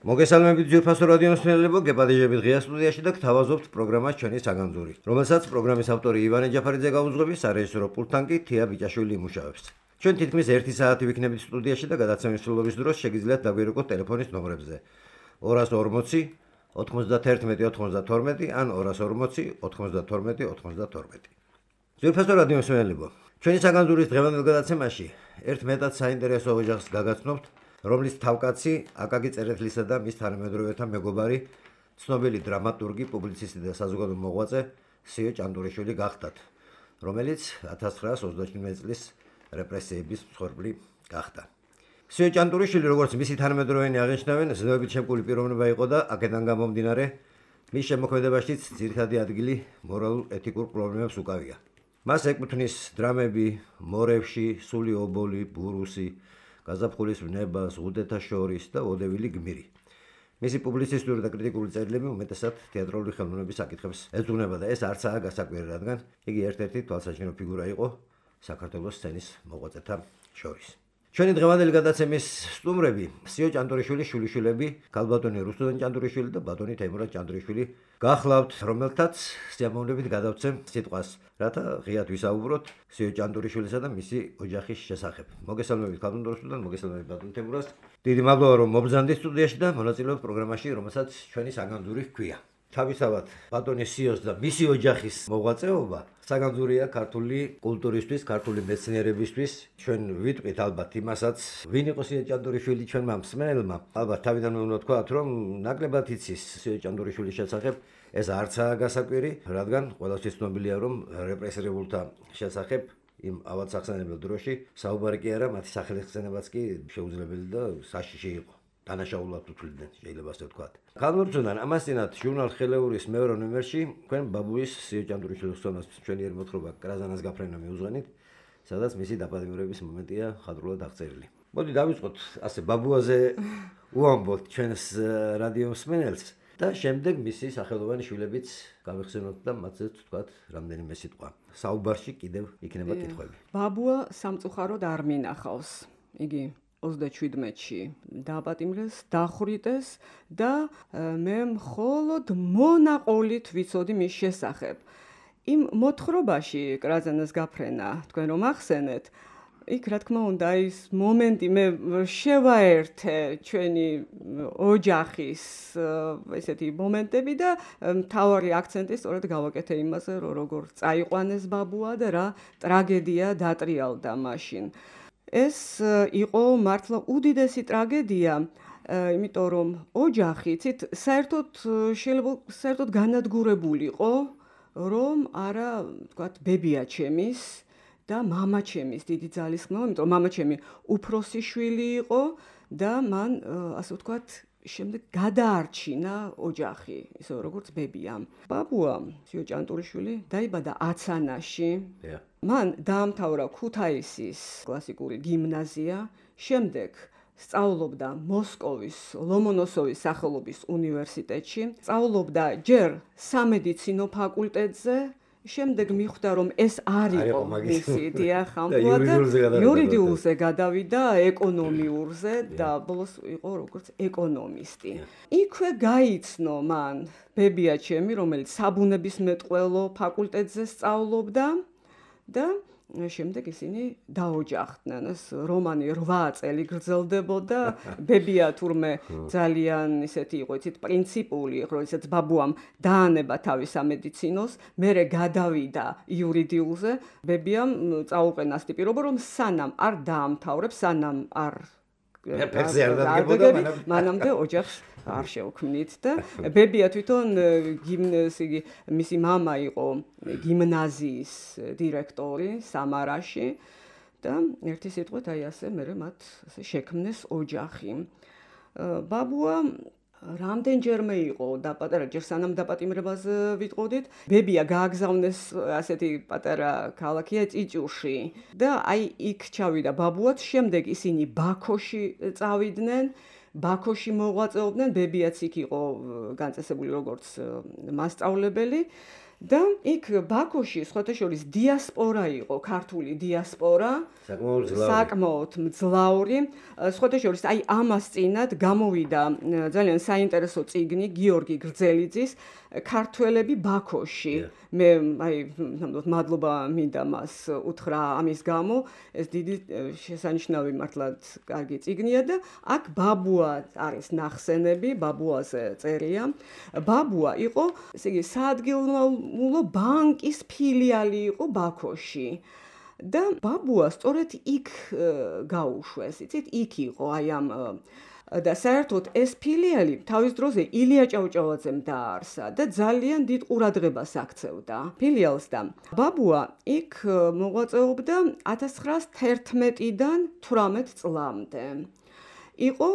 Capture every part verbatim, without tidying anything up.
მოგესალმებით ძვირფასო რადიო მსმენელებო, გეპადეჟებით ღია სტუდიაში და გთავაზობთ პროგრამას ჩვენი საგანძური, რომელსაც პროგრამის ავტორი ივანე ჯაფარიძე გაუძღვების, სარეჟისორო პულტთან კი თია ბიჭაშვილი იმუშავებს. ჩვენ თითქმის ერთი საათი ვიქნებით სტუდიაში და გადაცემის სრულობის დროს შეგიძლიათ დაგვირეკოთ ტელეფონის ნომრებზე ორას ორმოცი ოთხმოცდათერთმეტი ოცდათორმეტი ან ორას ორმოცი ოთხმოცდათორმეტი ოცდათორმეტი. ძვირფასო რადიო მსმენელებო, ჩვენი საგანძურის დღევანდელ გადაცემაში ერთ მეტად საინტერესო ოჯახს გაგაცნობთ, რომლის თავკაცი აკაკი წერეთლისა და მის თანამედროვეთა მეგობარი, ცნობილი დრამატურგი, პუბლიცისტი და საზოგადო მოღვაწე სიო ჭანტურიშვილი გახდათ, რომელიც ათას ცხრაას ოცდაჩვიდმეტი წლის რეპრესიების მსხვერპლი გახდა. სიო ჭანტურიშვილი, როგორც მისი თანამედროვენი აღნიშნავენ, ზნეობით შემკული პიროვნება იყო და აქედან გამომდინარე, მის შემოქმედებაშიც ძირითადი ადგილი მორალურ-ეთიკურ პრობლემებს უკავია. მას ეკუთვნის დრამები მორევში, სული ობოლი, ბურუსი, გაზაფხულის ვნება, ზღუდეთა შორის და ოდევილი გმირი. მისი პუბლიცისტური და კრიტიკული წერილები უმეტესად თეატრალური ხელოვნების საკითხებს ეძღვნება და ეს არცაა გასაკვირი, რადგან იგი ერთ-ერთი თვალსაჩინო ფიგურა იყო საქართველოს სცენის მოღვაწეთა შორის. ჩვენი დღევანდელი გადაცემის სტუმრები სიო ჭანტურიშვილის შვილიშვილები, ქალბატონი რუსუდან ჭანტურიშვილი და ბატონი თეიმურაზ ჭანტურიშვილი გახლავთ, რომელთაც სიამოვნებით გადავცემ სიტყვას, რათა ღიად ვისაუბროთ სიო ჭანტურიშვილისა და მისი ოჯახის შესახებ. მოგესალმებით ქალბატონ რუსუდან, მოგესალმებით ბატონ თეიმურაზ. დიდი მადლობა რომ მობრძანდით სტუდიაში და მონაწილეობთ პროგრამაში, რომელსაც ჩვენი საგანძური ჰქვია. თავისთავად ბატონი სიოს და მისი ოჯახის მოღვაწეობა საგანძურია ქართული კულტურისთვის, ქართული მეცნიერებისთვის. ჩვენ ვიტყვით ალბათ იმასაც, ვინ იყო სიო ჭანტურიშვილი ჩვენმა მსმენელმა. ალბათ თავიდანვე უნდა ვთქვათ, რომ ნაკლებად იცის სიო ჭანტურიშვილის შესახებ. ეს არცაა გასაკვირი, რადგან ყველასთვის ცნობილია, რომ რეპრესირებულთა შესახებ იმ ავადსახსენებელ დროში საუბარი კი არა, მათი სახელხსენებაც კი შეუძლებელი და საშიში იყო. დანაშაულად უთვლიდნენ, შეიძლება ასე ვთქვათ. ქალბატონთან ამასთანავე ჟურნალ ხელეურის მეორე ნომერში თქვენ ბაბუის სიო ჭანტურიშვილის ხსოვნას ჩვენიერ მოთხრობა კრაზანას გაფრენა მიუძღვნით, სადაც მისი დაპატიმრების მომენტია ხადრულად აღწერილი. მოდი დავიწყოთ ასე ბაბუაზე უამბობთ ჩვენს რადიო მსმენელს და შემდეგ მისი სახელოვანი შვილებიც გავიხსენოთ და მათზე ვთქვათ რამდენიმე სიტყვა. საუბარში კიდევ იქნება კითხვები. ბაბუა სამწუხაროდ არ მინახავს. იგი ოცდაჩვიდმეტში დააპატიმრეს, დახვრიტეს და მე მხოლოდ მონაყოლით ვიცოდი მის შესახებ. იმ მოთხრობაში კრაზანას გაფრენა, თქვენ რომ ახსენეთ, იქ რა თქმა უნდა ის მომენტი მე შევაერთე ჩვენი ოჯახის ესეთი მომენტები და მთავარი აქცენტი სწორედ გავაკეთე იმაზე, რომ როგორ წაიყვანეს ბაბუა და რა ტრაგედია დატრიალდა მაშინ. ეს იყო მართლა უდიდესი ტრაგედია, იმიტომ რომ ოჯახი ცით საერთოდ შეიძლება საერთოდ განადგურებულიყო, რომ არა, ვთქვათ, ბებია ჩემის და მამა ჩემის დიდი ძალისხმევა, იმიტომ რომ მამა ჩემი უფროსი შვილი იყო და მან, ასე ვთქვათ, შემდეგ გადაარჩინა ოჯახი, ისე როგორც ბებიამ. ბაბუა სიო ჭანტურიშვილი დაიბადა აცანაში. მან დაამთავრა ქუთაისის კლასიკური გიმნაზია, შემდეგ სწავლობდა მოსკოვის ლომონოსოვის სახელობის უნივერსიტეტში, სწავლობდა ჯერ სამედიცინო ფაკულტეტზე, შემდეგ მიხვდა რომ ეს არ იყო მისი დიახ ამბულად იურიდიულზე გადავიდა ეკონომიურზე და ბოლოს იყო როგორც ეკონომისტი. იქვე გაიცნო მან ბებია ჩემი, რომელიც საბუნებისმეტყველო ფაკულტეტზე სწავლობდა და შემდეგ ისინი დაოჯახდნენ. ეს რომანი რვა წელი გრძელდებოდა. ბებია თურმე ძალიან ისეთი იყო, იცით, პრინციპული, როდესაც ბაბუამ დაანება თავის სამედიცინოს, მერე გადავიდა იურიდიულზე. ბებიამ წაუყენა ასეთი პირობა, რომ სანამ არ დაამთავრებს, სანამ არ ფერზე არ დადგებოდა, მანამდე ოჯახს არ შევქმნით და ბებია თვითონ გიმნაზიის მისი მამა იყო გიმნაზიის დირექტორი სამარაში და ერთი სიტყვით აი ასე მერე მათ ასე შექმნეს ოჯახი. ბაბუა რამდენჯერმე იყო და პატარა ჯერ სანამ დაპატიმრებას ვიტყოდით, ბებია გააგზავნეს ასეთი პატარა ქალაქია ჭიჭუში და აი იქ ჩავიდა ბაბუაც, შემდეგ ისინი ბაქოში წავიდნენ. ბაქოში მოღვაწეობდნენ, ბებიაც იქ იყო განწესებული როგორც მასწავლებელი და იქ ბაქოში სხვათა შორის დიასპორა იყო, ქართული დიასპორა, საკმაოდ მძლავრი. სხვათა შორის აი ამას წინათ გამოვიდა ძალიან საინტერესო წიგნი გიორგი გრძელიძის ქართველები ბაქოში. მე აი ნამდვილად მადლობა მინდა მას უთხრა ამის გამო, ეს დიდი შესანიშნავი მართლაც კარგი წიგნია და აქ ბაბუა არის ნახსენები, ბაბუაზე წერია. ბაბუა იყო, ესე იგი, საადგილმამულო ბანკის ფილიალი იყო ბაქოში. და ბაბუა სწორედ იქ გაუშვეს, იცით, იქ იყო აი ამ და საერთოდ ეს ფილიალი თავის დროზე ილია ჭავჭავაძემ დააარსა და ძალიან დიდ ყურადღებას აქცევდა ფილიალს და ბაბუა იქ მოღვაწეობდა ათას ცხრაას თერთმეტიდან თვრამეტ წლამდე. იყო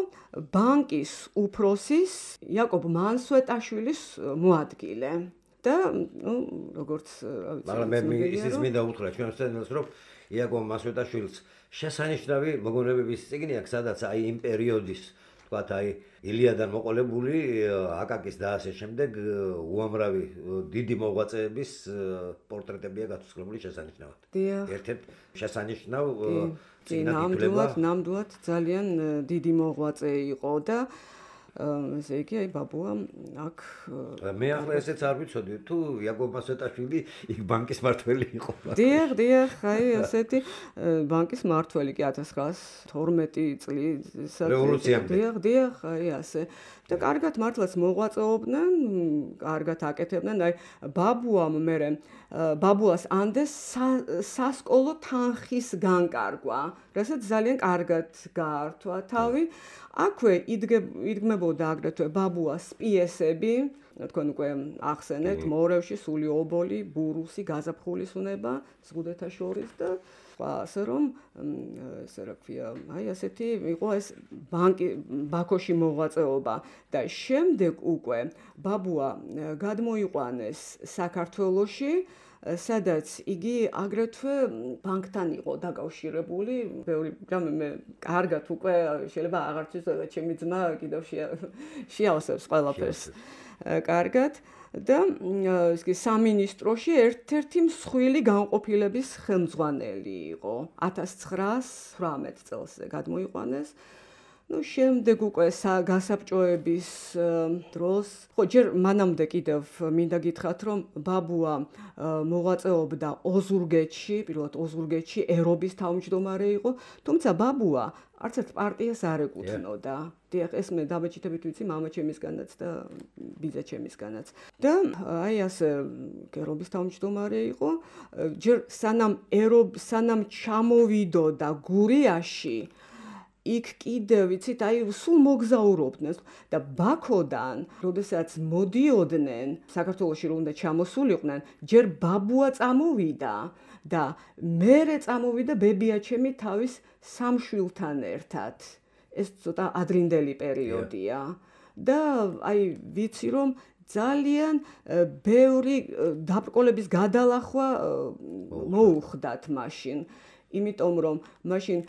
ბანკის უფროსის იაკობ მანსვეტაშვილის მოადგილე. და ნუ როგორც მაგრამ მე ისიც მინდა უთხრა ჩვენს წენელს რომ იაკობ მასვეტაშვილს შესანიშნავი მოგონებების წიგნი აქვს სადაც აი იმ პერიოდის თქვათ აი ილიადან მოყოლებული აკაკის და ასე შემდეგ უამრავი დიდი მოღვაწეების პორტრეტებია გაცვლილი შესანიშნავად. ერთ-ერთ შესანიშნავ წიგნად ითვლება. ნამდვილად ძალიან დიდი მოღვაწე იყო და ესე იგი აი ბაბუა აქ მე ახლა ესეც არ ვიცოდი თუ იაკობ მასვეტაშვილი იქ ბანკის მართველი იყო. დიახ, დიახ, აი ასეთი ბანკის მართველი კი ათას ცხრაას თორმეტი წლის რევოლუციამდე. დიახ, დიახ, აი ასე. და კარგად მართლაც მოღვაწეობდნენ, კარგად აკეთებდნენ, აი ბაბუამ მერე ბაბუას ანდეს სასკოლო თანხის განკარგვა, რასაც ძალიან კარგად გაართვა თავი. აქვე იდგმებოდა აგრეთვე ბაბუას პიესები, თქვენ უკვე ახსენეთ, მორევში, სული ობოლი, ბურუსი, გაზაფხულის უნება, ზღუდეთა შორის და ასე რომ ესე რა ქვია, აი ასეთი იყო ეს ბანკი ბაქოში მოღვაწეობა და შემდეგ უკვე ბაბუა გადმოიყვანეს საქართველოში, სადაც იგი აგრეთვე ბანკთან იყო დაკავშირებული. ბევრი რამე მე კარგად უკვე შეიძლება აღარ ვიცოდე, ჩემი ძმა კიდევ შეავსებს ყველაფერს კარგად და ისე სამინისტროში ერთ-ერთი მსხვილი განყოფილების ხელმძღვანელი იყო. ათას ცხრაას თვრამეტ წელს გადმოიყვანეს. ნუ შემდეგ უკვე გასაბჭოების დროს, ხო ჯერ მანამდე კიდევ მინდა გითხრათ, რომ ბაბუა მოღვაწეობდა ოზურგეთში, პირველად ოზურგეთში ერობის თავმჯდომარე იყო, თუმცა ბაბუა არც ერთ პარტიას არ ეკუთვნოდა. დიახ, ეს მე დამაჩითებით ვიცი მამაჩემისგანაც და ბიძაჩემისგანაც. და აი ასე ერობის თავმჯდომარე იყო, ჯერ სანამ ერობ სანამ ჩამოვიდოდა გურიაში იქ კიდევ ვიცით აი სულ მოგზაურობდნენ და ბაქოდან როდესაც მოდიოდნენ საქართველოში რომ უნდა ჩამოსულიყვნენ ჯერ ბაბუა წამოვიდა და მერე წამოვიდა ბებიაჩემი თავის სამშვილთან ერთად ეს ცოტა ადრინდელი პერიოდია და აი ვიცი რომ ძალიან ბევრი დაბრკოლების გადალახვა მოუხდათ მაშინ იმიტომ რომ მაშინ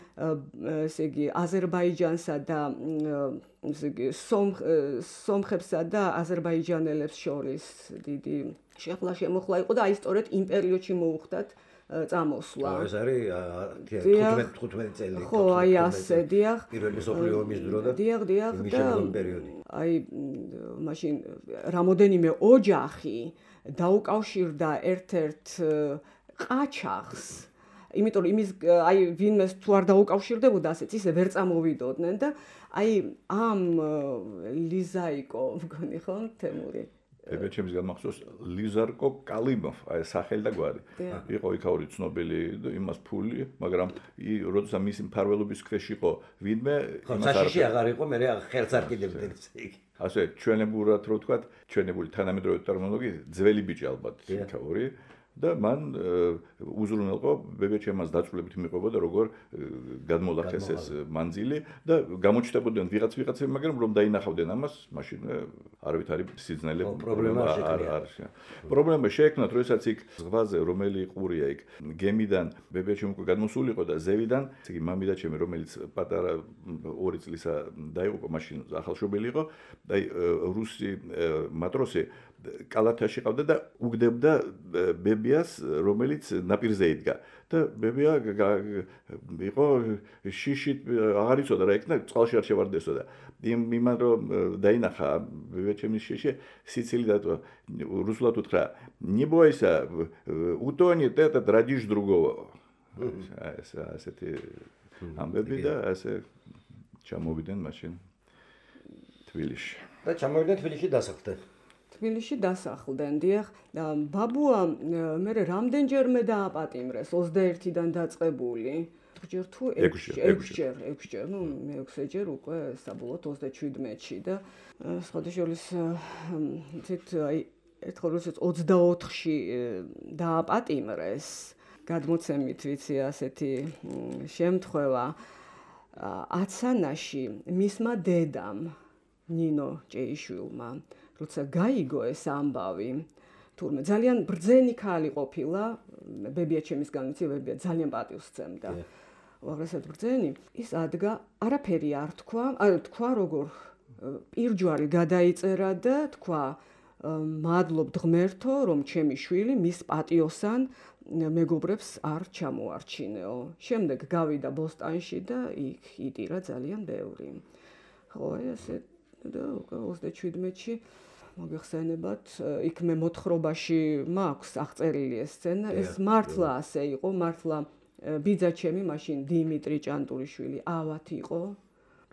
ესე იგი აზერბაიჯანსა და ესე იგი სომხებსა და აზერბაიჯანელებს შორის დიდი შეხლა შემოხლა იყო და აი სწორედ იმ პერიოდში მოუხდათ წამოსვლა. ეს არის თხუთმეტი წელი. ხო, აი ასე, დიახ. პირველი მსოფლიო ომის დრო და დიახ, დიახ და პერიოდი. აი მაშინ რამოდენიმე ოჯახი დაუკავშირდა ერთ-ერთ ყაჩაღს იმიტომ რომ იმის აი ვინმეს თუ არ დაუკავშირდებოდა ასეც ისე ვერ წამოვიდოდნენ და აი ამ ლიზაიკო მგონი ხო თემური ბებიაჩემის განმახსოვს ლიზარკო კალიმოვ აი სახელი და გვარი იყო იქაური ცნობილი იმას ფული მაგრამ როდესაც მისი მფარველობის ქვეშ იყო ვინმე იმას არ აღარ იყო მე ხელს არ კიდევდნენ იგი ასე ჩვენებურად რო ვთქვათ ჩვენებული თანამედროვე ტერმინოლოგიით ძველი ბიჭი ალბათ იქაური და მან უზრუნველყო ბებიაჩემას დაწვრილებით მიყვებოდა როგორ გადმოლახეს ეს მანძილი და გამოჩნდებოდნენ ვიღაც ვიღაცები, მაგრამ რომ დაინახავდნენ ამას, მაშინ არავითარი სიძნელე პრობლემა არ არის. პრობლემა შეექმნათ, როდესაც იქ ზღვაზე რომელი ყურია იქ გემიდან ბებიაჩემი უკვე გადმოსულიყო და ზევიდან, ესე იგი მამიდაჩემი რომელიც პატარა ორი წლისა დაიღუპა, მაშინ ახალშობილი იყო და რუსი მატროსი კალათაში ყავდა და უგდებდა ბებიას, რომელიც ნაპირზე იდგა. და ბებია იყო შიშით აღარ იცოდა რა იქნა, წყალში არ შევარდესო და იმან რომ დაინახა ბებიაჩემის შიში, სიცილი დატოვა. რუსულად უთხრა: "Не бойся, утонет этот, родишь другого". ასეთი ამბები და ასე ჩამოვიდნენ მაშინ თბილისში. და ჩამოვიდნენ თბილისში დასახლდნენ. თბილისში დასახლდნენ, დიახ, და ბაბუა მე რამდენჯერმე დააპატიმრეს ოცდაერთიდან დაწყებული. ჯერ თუ ექვსჯერ, ექვსჯერ, ну, მეექვსეჯერ უკვე საბოლოოდ ოცდაჩვიდმეტში და სხვადასხვა თვით აი ერთხელ როდესაც ოცდაოთხში დააპატიმრეს, გადმოცემით ვიცი ასეთი შემთხვევა აცანაში მისმა დედამ ნინო ჭეიშვილმა როცა გაიგო ეს ამბავი, თურმე ძალიან ბრძენი ქალი ყოფილა, ბებიაჩემისგან ვიცი, ბებია ძალიან პატივს სცემდა. უაღრესად ბრძენი, ის ადგა, არაფერი არ თქვა, არ თქვა როგორ პირჯვარი გადაიწერა და თქვა: "მადლობ ღმერთო, რომ ჩემი შვილი მის პატიოსან მეგობრებს არ ჩამოარჩინეო". შემდეგ გავიდა ბოსტანში და იქ იტირა ძალიან ბევრი. ხო, აი ასე და ოცდაჩვიდმეტში მოგეხსენებათ, იქ მე მოთხრობაში მაქვს აღწერილი ეს სცენა, ეს მართლა ასე იყო, მართლა ბიძაჩემი მაშინ დიმიტრი ჭანტურიშვილი ავად იყო,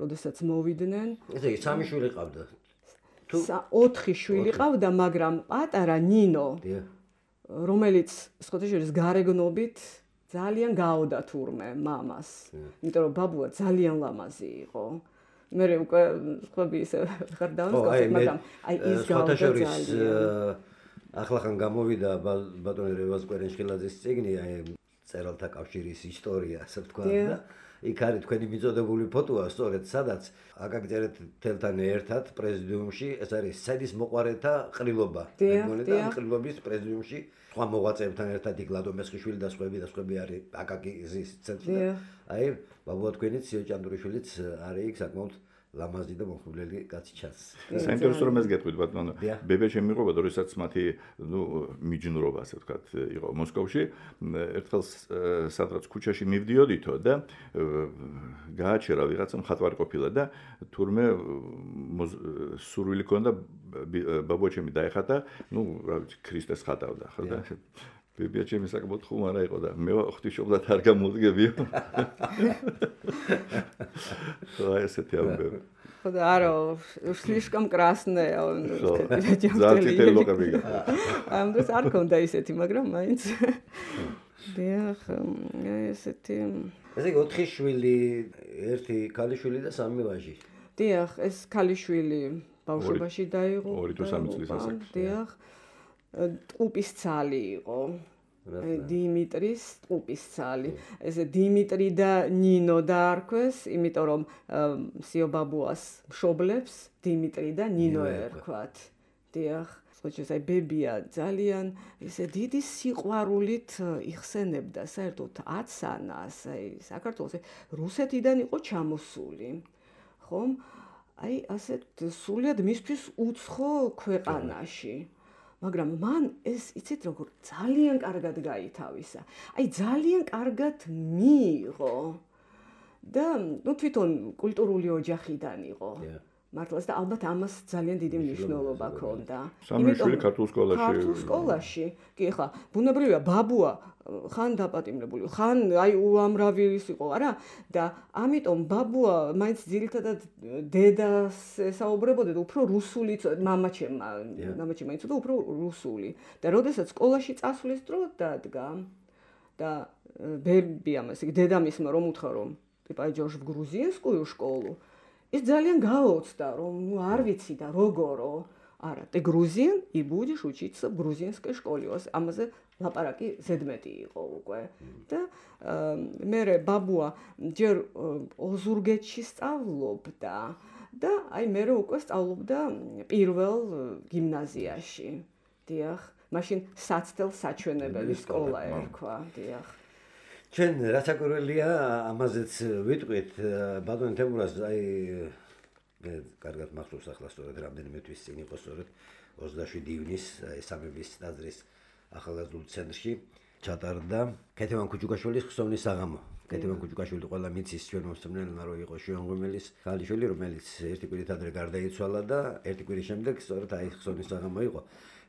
როდესაც მოვიდნენ. ესე იგი სამი შვილი ყავდა. თუ ოთხი შვილი ყავდა, მაგრამ პატარა ნინო, რომელიც სხვადასხვა გარეგნობით ძალიან გააოდა თურმე მამას, იმიტომ რომ ბაბუა ძალიან ლამაზი იყო. მე უკვე ხები ისე ხარ დავსკაფე, მაგრამ აი ის გააოდა ძალიან. ახლახან გამოვიდა ბატონი რევაზ კვერენშხილაძის წიგნი, აი წერალთა კავშირის ისტორია, ასე ვთქვა და იქ არის თქვენი მიწოდებული ფოტოა, სწორედ სადაც აკაკი წერეთელთან ერთად პრეზიდიუმში, ეს არის სადის მოყვარეთა ყრილობა. მეგონი და ყრილობის პრეზიდიუმში სხვა მოღვაწეებთან ერთად იქ ლადო მესხიშვილი და სხვები და სხვები არის აკაკის ცენტრში. აი ბაბუა თქვენი ციო ჭანდურიშვილიც არის იქ საკმაოდ ლამაზი და მომხიბვლელი კაცი ჩანს. საინტერესო რომ ეს გეტყვით ბატონო. ბებიაჩემი მიყვება, როდესაც მათი, ნუ, მიჯნურობა, ასე ვთქვათ, იყო მოსკოვში, ერთხელ სადღაც ქუჩაში მივდიოდითო და გააჩერა ვიღაცა მხატვარი ყოფილა და თურმე სურვილი ჰქონდა ბაბუაჩემი დაეხატა, ნუ, რა ვიცი, ქრისტეს ხატავდა, ხო და ბებიაჩემი საკმაოდ ხუმარა იყო და მე ღვთისმშობლად არ გამოვდგებიო. ხო, ესეთი ამბები. ხო და არა, слишком красная, он ზალწითელი ლოყები გა. ამ დროს არ ქონდა ისეთი, მაგრამ მაინც დიახ, ესეთი. ესე იგი ოთხი შვილი, ერთი ქალიშვილი და სამი ვაჟი. დიახ, ეს ქალიშვილი ბავშვობაში დაიღო. ორი თუ სამი წლის ასაკში. დიახ. ტყუპის ცალი იყო. დიმიტრის ტყუპის ცალი. ესე დიმიტრი და ნინო დაარქვეს, იმიტომ რომ სიო ბაბუას მშობლებს დიმიტრი და ნინო ერქვათ. დიახ. ხოჭეს აი ბებია ძალიან ესე დიდი სიყვარულით იხსენებდა საერთოდ აცანას, აი საქართველოს რუსეთიდან იყო ჩამოსული. ხომ? აი ასე სულიად მისთვის უცხო ქვეყანაში. მაგრამ მან ეს იცით როგორ ძალიან კარგად გაითავისა. აი ძალიან კარგად მიიღო. და ნუ თვითონ კულტურული ოჯახიდან იყო. მართლაც და ალბათ ამას ძალიან დიდი მნიშვნელობა ჰქონდა. სამი შვილი ქართულ სკოლაში. ქართულ სკოლაში. კი ხა, ბუნებრივია ბაბუა ხან დაპატიმრებული, ხან აი უამრავი ის იყო, არა? და ამიტომ ბაბუა მაინც ძირითადად დედას ესაუბრებოდა და უფრო რუსული, მამაჩემმა, მამაჩემმა იცოდა უფრო русული. და როდესაც სკოლაში წასვლის დრო დადგა და ბებიამ, ესე იგი დედამისმა რომ უთხრა რომ типа идёшь в грузинскую школу, ის ძალიან გაოცდა, რომ ნუ არ ვიცი და როგორო. არა, ты грузин и будешь учиться в грузинской школе. ამაზე ლაპარაკი ზედმეტი იყო უკვე და მე ბაბუა ჯერ ოზურგეთში სწავლობდა და აი მე უკვე სწავლობდა პირველ გიმნაზიაში. დიახ, მაშინ საცდელ საჩვენებელი სკოლა ერქვა, დიახ. ჩვენ რაც აკურველია ამაზეც ვიტყვით ბატონ თემურას აი მე კარგად მახსოვს ახლა სწორედ რამდენიმე თვის წინ იყო სწორედ ოცდაშვიდი ივნის აი სამების ტაძრის ახალგაზრდულ ცენტრში ჩატარდა ქეთევან კუჩუკაშვილის ხსოვნის საღამო. ქეთევან კუჩუკაშვილი ყველა მიცის ჩვენ მოსწავლეებმა რომ იყო შვენღუმელის ქალიშვილი, რომელიც ერთი კვირით ადრე გარდაიცვალა და ერთი კვირის შემდეგ სწორედ აი ხსოვნის საღამო იყო.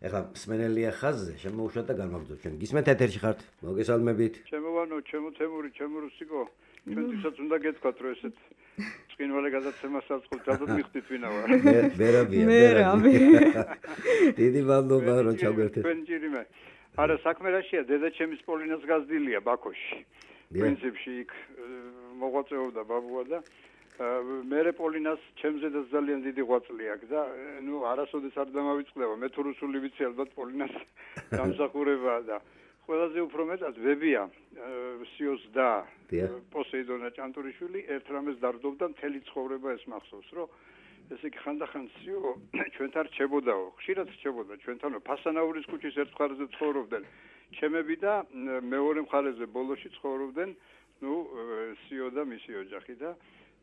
ეხლა მსმენელია ხაზზე, შემოუშვათ და განვაგრძობთ ჩვენ. გისმენთ ეთერში ხართ? მოგესალმებით. ჩემოვანო, ჩემო თემური, ჩემო რუსიკო, ჩვენთვისაც უნდა გეთქვათ, რომ ესეთ წკინვალე გადაცემას აწყობთ, რადგან მიხდით ვინა ვარ. მერაბია, მერაბია. დიდი მადლობა რომ ჩაგვერთეთ. ჩვენ ჯირიმე. არა, საქმე რაშია, დედაჩემის პოლინას გაზდილია ბაქოში. პრინციპში იქ მოღვაწეობდა ბაბუა და მერე პოლინას ჩემზედაც ძალიან დიდი ღვაწლი აქვს და ნუ არასოდეს არ დამავიწყდება. მე თუ რუსული ვიცი ალბათ პოლინას დამსახურებაა და ყველაზე უფრო მეტად ვებია სიოს და პოსეიდონა ჭანტურიშვილი ერთ რამეს დარდობდა მთელი ცხოვრება ეს მახსოვს რომ ესე იგი ხანდახან სიო ჩვენთან რჩებოდაო ხშირად რჩებოდა ჩვენთანო ფასანაურის ქუჩის ერთ მხარეზე ცხოვრობდნენ ჩემები და მეორე მხარეზე ბოლოში ცხოვრობდნენ ნუ სიო და მისი ოჯახი და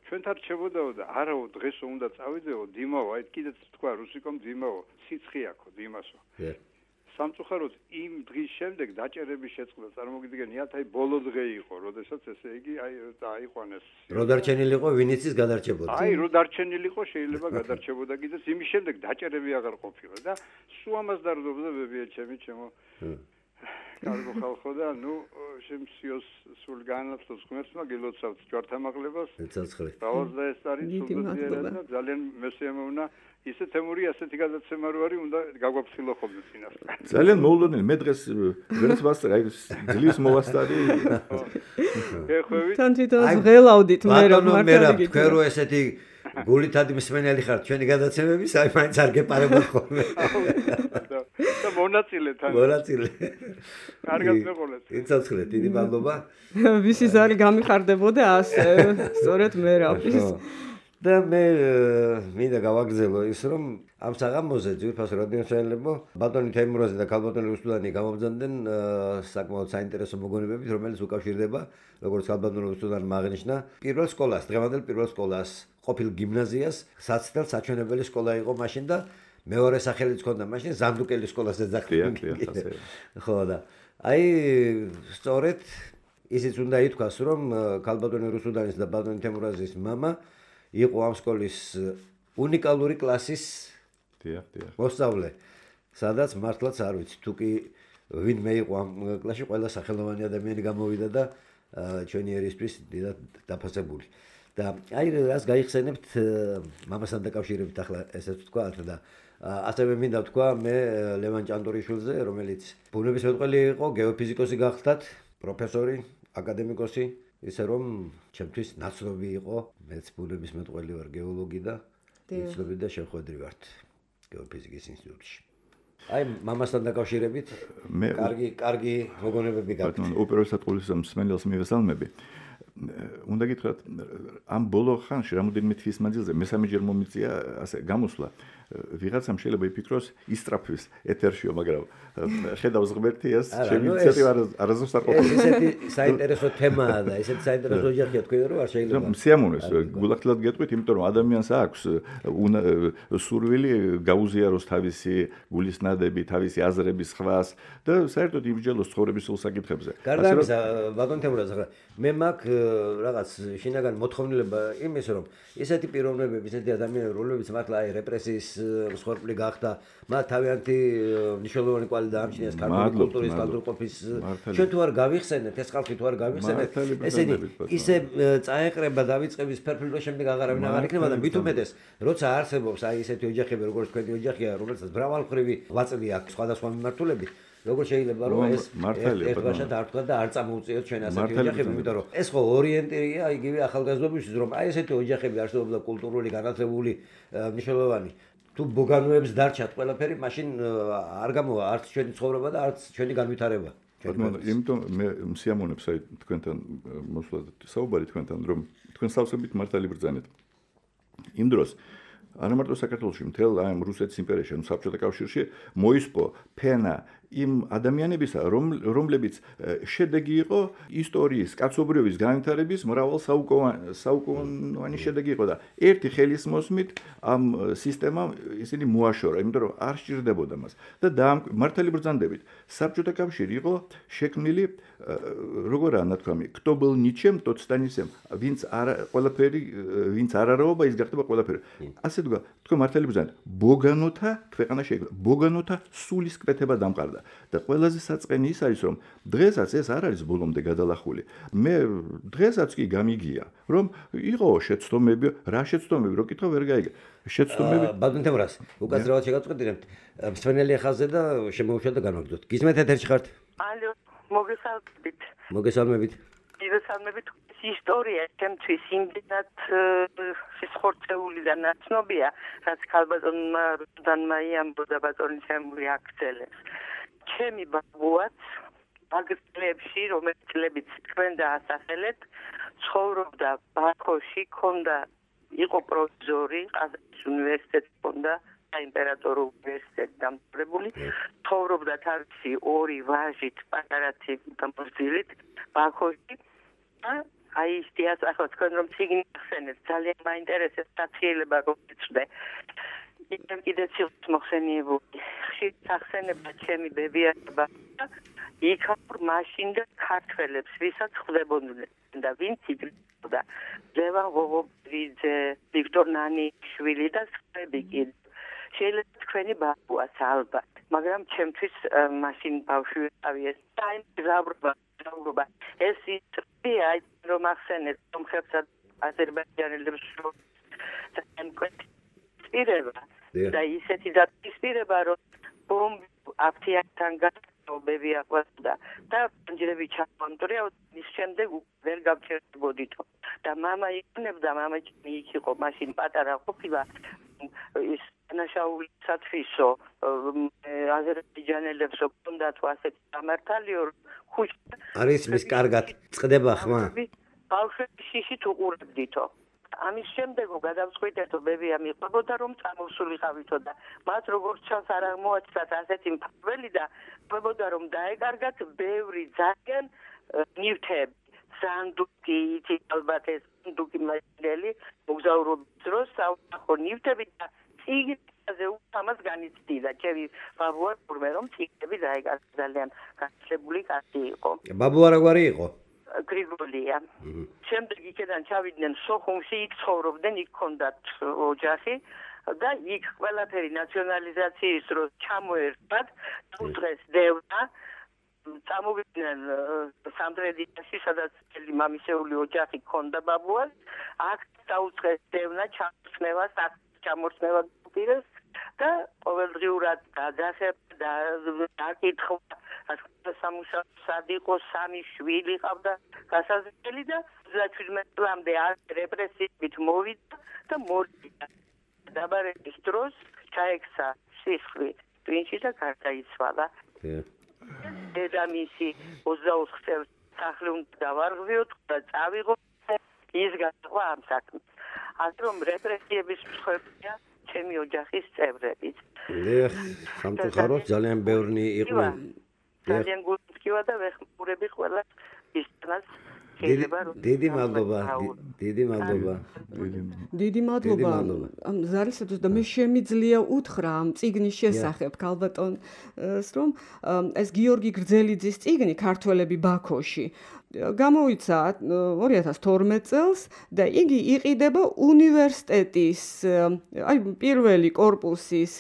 ჩვენთან რჩებოდაო და არაო დღესო უნდა წავიდეო დიმაო აი კიდეც თქვა რუსიკომ დიმაო სიცხიაქო დიმასო სამწუხაროდ იმ დღის შემდეგ დაჭერების შეწყდა წარმოგიდგენიათ აი ბოლო დღე იყო როდესაც ესე იგი აი დაიყვანეს რო დარჩენილიყო ვინიცის გადარჩებოდა აი რო დარჩენილიყო შეიძლება გადარჩებოდა კიდეც იმის შემდეგ დაჭერები აღარ ყოფილა და სულ ამას დარდობდა ბებია ჩემი ჩემო კარგო ხალხო და ნუ შემსიოს სულ განათლოს ღმერთმა გილოცავთ ჯვართამაღლებას ცოცხლი დავალდა ეს არის სულგაზიერად და ძალიან მესიამოვნა ისე თემური ასეთი გადაცემა რო არის უნდა გაგვაფრთხილო ხოლმე წინასწარ ძალიან მოულოდნელი მე დღეს ვერც ვასწრე აი ძლის მოვასწარი ეხევით თან თვითონ ღელავდით მე რომ მართალი თქვენ რო ესეთი გულითადი მსმენელი ხართ ჩვენი გადაცემების აი მაინც არ გეპარებოდ ხოლმე და მონაწილე თან მონაწილე კარგად მეყოლეთ იცოცხლეთ დიდი მადლობა ვისი ზარი გამიხარდებოდა ასე სწორედ მე რაფის და მე მინდა გავაგრძელო ის რომ ამ საღამოზე ძვირფას რადიოსაელებო ბატონი თემურაზი და ქალბატონი რუსუდანი გამობრძანდნენ საკმაოდ საინტერესო მოგონებებით რომელიც უკავშირდება როგორც ქალბატონი რუსუდანმა აღნიშნა პირველ სკოლას დღევანდელ პირველ სკოლას ყოფილ გიმნაზიას საცდელ საჩვენებელი სკოლა იყო მაშინ და მეორე სახელიც ჰქონდა მაშინ ზანდუკელის სკოლას ეძახდნენ ხო და აი სწორედ ისიც უნდა ითქვას რომ ქალბატონი რუსუდანის და ბატონი თემურაზის მამა იყო ამ სკოლის უნიკალური კლასის დიახ დიახ მოსწავლე სადაც მართლაც არ ვიცი თუ კი ვინმე იყო ამ კლასში ყველა სახელოვანი ადამიანი გამოვიდა და ჩვენი ერისთვის დიდად დაფასებული და აი რას გაიხსენებთ მამასთან დაკავშირებით ახლა ესეც ვთქვათ და ასევე მინდა ვთქვა მე ლევან ჭანტურიშვილზე რომელიც ბუნებისმეტყველი იყო გეოფიზიკოსი გახდათ პროფესორი აკადემიკოსი ისე რომ ჩემთვის ნაცნობი იყო მეც ბუნებისმეტყველი ვარ გეოლოგი და ნაცნობი და შეხვედრი ვართ გეოფიზიკის ინსტიტუტში აი მამასთან დაკავშირებით მე კარგი კარგი მოგონებები გაქვთ უპირველესად ყოვლისა მსმენელს მივესალმები უნდა გითხრათ ამ ბოლო ხანში რამოდენიმე თვის მანძილზე მესამეჯერ მომიწია ასე გამოსვლა ვიღაცამ შეიძლება იფიქროს ისტრაფვის ეთერშიო მაგრამ ხედავს ღმერთი ეს შემიცეთი არასდროს არ ყოფილა ესეთი საინტერესო თემაა და ესეთი საინტერესო ოჯახია თქვენ რომ არ შეიძლება სიამოვნეს გულახდილად გეტყვით იმიტომ რომ ადამიანს აქვს სურვილი გაუზიაროს თავისი გულისნადები თავისი აზრების ხვას და საერთოდ იმსჯელოს ცხოვრების სულ საკითხებზე გარდა ამისა ბატონ თემურაზ ახლა მე მაქვს რაღაც შინაგან მოთხოვნილება იმის რომ ესეთი პიროვნებები ესეთი ადამიანები რომლებიც მართლა აი რეპრესიის მსხვერპლი გახდა მათ თავიანთი მნიშვნელოვანი კვალი დაამჩნიეს ქართული კულტურის კულტურყოფის ჩვენ თუ არ გავიხსენეთ ეს ხალხი თუ არ გავიხსენეთ ესენი ისე წაეყრება დავიწყების ფერფლ შემდეგ აღარავინ აღარ იქნება და მით უმეტეს როცა არსებობს აი ესეთი ოჯახები როგორც თქვენი ოჯახია რომელსაც მრავალმხრივი ღვაწლი აქვს სხვადასხვა მიმართულებით როგორ შეიძლება რომ ეს ერთბაშად არ თქვა და არ წამოუწიოთ ჩვენ ასეთი ოჯახები იმიტომ რომ ეს ხო ორიენტირია იგივე ახალგაზრდობისთვის რომ აი ესეთი ოჯახები არსებობდა კულტურული განათლებული მნიშვნელოვანი თუ ბოგანოებს დარჩათ ყველაფერი, მაშინ არ გამოვა არც ჩვენი ცხოვრება და არც ჩვენი განვითარება. ბატონო, იმიტომ მე მსიამოვნებს აი თქვენთან მოსვლა საუბარი თქვენთან, რომ თქვენ სავსებით მართალი ბრძანეთ. იმ დროს არა მარტო საქართველოში, მთელ აი რუსეთის იმპერიაში, ანუ საბჭოთა კავშირში მოისპო ფენა იმ ადამიანებისა, რომლებიც შედეგი იყო ისტორიის, კაცობრიობის განვითარების მრავალ საუკუნოვანი შედეგი იყო და ერთი ხელის მოსმით ამ სისტემამ ისინი მოაშორა, იმიტომ რომ არ სჭირდებოდა მას. და მართალი ბრძანდებით, საბჭოთა კავშირი იყო შექმნილი როგორ ნათქვამი, кто был ничем, тот станет, ვინც არ ყველაფერი, ვინც არ არაობა, ის გახდება ყველაფერი. ასე თქვა, თქვენ მართალი ბრძანდებით, ბოგანოთა ქვეყანა შეიქმნა, ბოგანოთა სულისკვეთება დამყარდა. და ყველაზე საწყენი ის არის, რომ დღესაც ეს არ არის ბოლომდე გადალახული. მე დღესაც კი გამიგია, რომ იყო შეცდომები, რა შეცდომები, რო კითხვა ვერ გაიგე. შეცდომები ბატონ თემურას, უკაცრავად შეგაწყვეტინებთ. მსვენელი ახალზე და შემოუშვათ და განვაგრძოთ. გისმენთ ეთერში ხართ? ალო, მოგესალმებით. მოგესალმებით. მოგესალმებით. ისტორია ჩემთვის იმდენად სიხორცეული და ნაცნობია, რაც ქალბატონმა რუდანმა იამბოდა ბატონი თემური აქცელებს. ჩემი ბაბუაც აგრეთლებში, რომელიც წლებიც თქვენ დაასახელეთ, ცხოვრობდა ბაქოში, ქონდა იყო პროფესორი, ყაზანის უნივერსიტეტში ქონდა საიმპერატორო უნივერსიტეტი დამთავრებული, ცხოვრობდა თავისი ორი ვაჟით, პატარათი და მოსილით ბაქოში. აი ის დიასახლო თქვენ რომ ციგნი ახსენეთ, ძალიან მაინტერესებს საციელება გოგიცვდე. იქნებ კიდე ცილს მოხსენიებული. ხშირ სახსენება ჩემი ბებიაება იქაურ მაშინდა ქართველებს, ვისაც ხვდებოდნენ და ვინც იგრძნობდა. ლევან ღოღობიძე, ვიქტორ ნანიშვილი და სხვები კიდე. შეიძლება თქვენი ბაბუას ალბათ, მაგრამ ჩემთვის მაშინ ბავშვი ვიყავი ეს დაიმგზავრება, დავრობა. ეს ისტორია რომ ახსენეთ სომხებსა და აზერბაიჯანელებს პირება და ისეთი დაპირება, რომ ბომბი აფთიაქთან გასწობები აყვასდა და პანჯრები ჩამონტრია, ის შემდეგ ვერ გავჩერდებოდითო. და მამა იყნებდა, მამა იქ იყო, მაშინ პატარა ყოფილა ის ნაშაული სათვისო აზერბაიჯანელებს ჰქონდათ ასეთი სამართალიო ხუჭ არის მის კარგად წდება ხმა ბავშვები შიშით უყურებდითო. ამის შემდეგ გადავწყვიტეთო ბებია მიყვებოდა რომ წამოსულიყავითო და მათ როგორც ჩანს არ აღმოაჩნდათ ასეთი მფარველი და ყვებოდა რომ დაეკარგათ ბევრი ძალიან ნივთები. სანდუკი, იცი ალბათ ეს სანდუკი მასლელი მოგზაურობის დროს საუნახო ნივთები და ციგნზე ამას განიცდიდა. ჩემი ბაბუა თურმე რომ ციგნები დაეკარგა ძალიან განსხვავებული კაცი იყო. ბაბუა რაგვარი იყო? გრიგოლია. შემდეგ იქიდან ჩავიდნენ სოხუმში, იქ ცხოვრობდნენ, იქ ჰქონდათ ოჯახი და იქ ყველაფერი ნაციონალიზაციის დროს ჩამოერთვათ, უძღეს დევნა, წამოვიდნენ სამტრედიაში, სადაც მთელი მამისეული ოჯახი ჰქონდა ბაბუას, აქ დაუძღეს დევნა, ჩამორჩნევა, ჩამორჩნევა პირეს და ყოველდღიურად გადასება და დაკითხვა სამუშაო სად იყო, სამი შვილი ყავდა გასაზრდელი და ოცდაშვიდმეტ წლამდე რეპრესიებით მოვიდა და მორიდა. დაბარების დროს ჩაექცა სისხლი ტვინში და გარდაიცვალა. დედამისი ოცდაოთხ წელს სახლი უნდა დავარღვიოთ და წავიღო ის გაყვა ამ საქმეს. ასე რომ რეპრესიების მსხვერპლია ჩემი ოჯახის წევრებიც. ეხ, სამწუხაროდ ძალიან ბევრი იყო. ძალიან გულწრფია და ვეხმურები ყველა ისწრას შეიძლება რომ დიდი მადლობა, დიდი მადლობა. დიდი მადლობა ამ ზარისათვის და მე შემიძლია უთხრა ამ წიგნის შესახებ ქალბატონს რომ ეს გიორგი გრძელიძის წიგნი ქართველები ბაქოში გამოიცა ორი ათას თორმეტ წელს და იგი იყიდება უნივერსიტეტის აი პირველი კორპუსის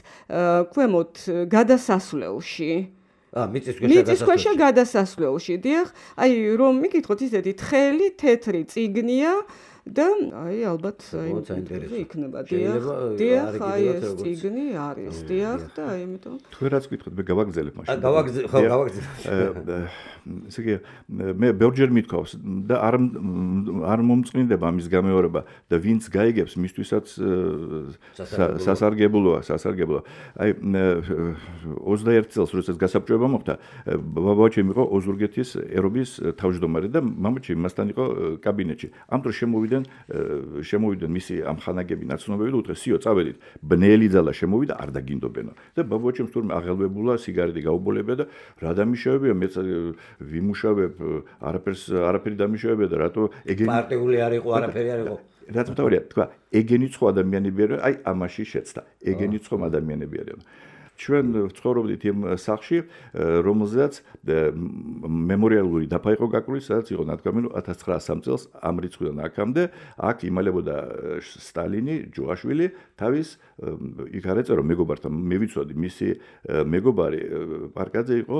ქვემოთ გადასასვლელში. ა მიწისქვეშა გადასასვლელში. დიახ, აი რომ მიკითხოთ ისეთი თხელი თეთრი წიგნია და აი ალბათ აი იქნება დიახ დიახ აი ეს წიგნი არის დიახ და აი ამიტომ თქვენ რაც გითხოთ მე გავაგზელებ მაშინ გავაგზელებ ხო გავაგზელებ ესე იგი მე ბევრჯერ მithქვავს და არ არ მომწყნდება ამის გამეორება და ვინც გაიგებს მისთვისაც სასარგებლოა სასარგებლოა აი ოცდაერთი წელს როდესაც გასაბჭოება მოხდა ბაბაჩემ იყო ოზურგეთის ერობის თავმჯდომარე და მამაჩემ მასთან იყო კაბინეტში ამ დროს შემოვიდნენ შემოვიდნენ მისი ამ ხანაგები ნაცნობები და უთხრეს სიო წავედით ბნელი ძალა შემოვიდა არ დაგინდობენო და ბაბაჩემ თურმე აღელვებულა სიგარეტი გაუბოლებია და რა დამიშავებია მეც ვიმუშავებ არაფერს არაფერი დამიშავებია და რატო ეგენი პარტიული არ იყო არაფერი არ იყო რაც მთავარია თქვა ეგენი ცხო ადამიანები არიან აი ამაში შეცდა ეგენი ცხო ადამიანები არიან ჩვენ ცხოვრობდით იმ სახლში რომელზეც მემორიალური დაფა იყო გაკრული სადაც იყო ნათქვამი რომ ათას ცხრაასი წელს ამ რიცხვიდან აქამდე აქ იმალებოდა სტალინი ჯუაშვილი თავის იქ არ ეწერო მეგობართან მე ვიცოდი მისი მეგობარი პარკაძე იყო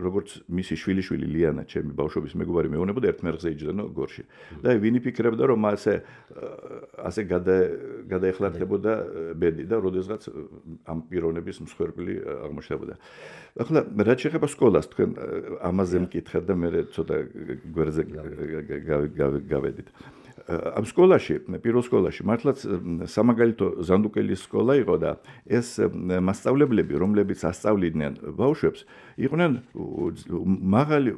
როგორც მისი შვილიშვილი ლიანა ჩემი ბავშვობის მეგობარი მეუბნებოდა ერთმერხზე იჯდენო გორში და ვინი ფიქრებდა რომ ასე ასე გადაეხლარდებოდა ბედი და როდესღაც ამ პიროვნების მსხვერპლი აღმოჩნდებოდა. ახლა რაც შეეხება სკოლას, თქვენ ამაზე მკითხეთ და მე ცოტა გვერდზე გავედით. ამ სკოლაში, პირველ სკოლაში მართლაც სამაგალითო ზანდუკელის სკოლა იყო და ეს მასწავლებლები, რომლებიც ასწავლიდნენ ბავშვებს, იყვნენ მაღალი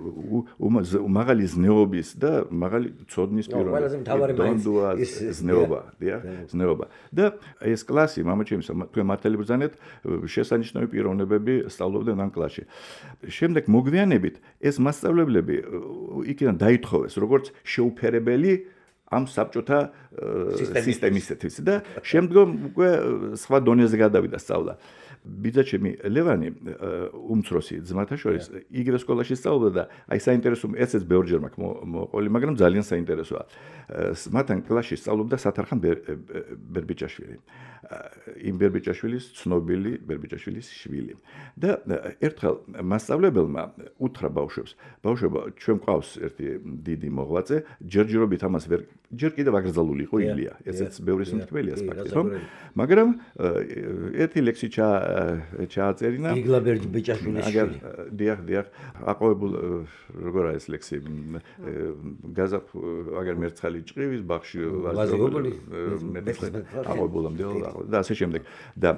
მაღალი ზნეობის და მაღალი ცოდნის პიროვნები. ზნეობა, დიახ, ზნეობა. და ეს კლასი, მამაჩემის, თქვენ მართალი ბრძანეთ, შესანიშნავი პიროვნებები სწავლობდნენ ამ კლასში. შემდეგ მოგვიანებით ეს მასწავლებლები იქიდან დაითხოვეს, როგორც შეუფერებელი ამ საბჭოთა სისტემისათვის და შემდგომ უკვე სხვა დონეზე გადავიდა სწავლა. ბიძაჩემი ლევანი უმცროსი ძმათა შორის იგივე სკოლაში სწავლობდა და აი საინტერესო ესეც ბევრჯერ მაქვს მოყოლი, მაგრამ ძალიან საინტერესოა. მათთან კლასში სწავლობდა სათარხან ბერბიჭაშვილი. იმ ბერბიჭაშვილის ცნობილი ბერბიჭაშვილის შვილი. და ერთხელ მასწავლებელმა უთხრა ბავშვებს, ბავშვებო, ჩვენ ყავს ერთი დიდი მოღვაწე, ჯერჯერობით ამას ვერ ჯერ კიდევ აკრძალული იყო ილია. ესეც ბევრი სიმთქმელია ფაქტი, რომ მაგრამ ერთი ლექსი ჩა ჩააწერინა იგლა ბერბიჭაშვილის შვილი. დიახ, დიახ, აყვავებულ როგორ არის ეს ლექსი? გაზაფ აგერ მერცხალი ჭყივის ბაღში ვაზიობული აყვავებულამდე და ასე შემდეგ. და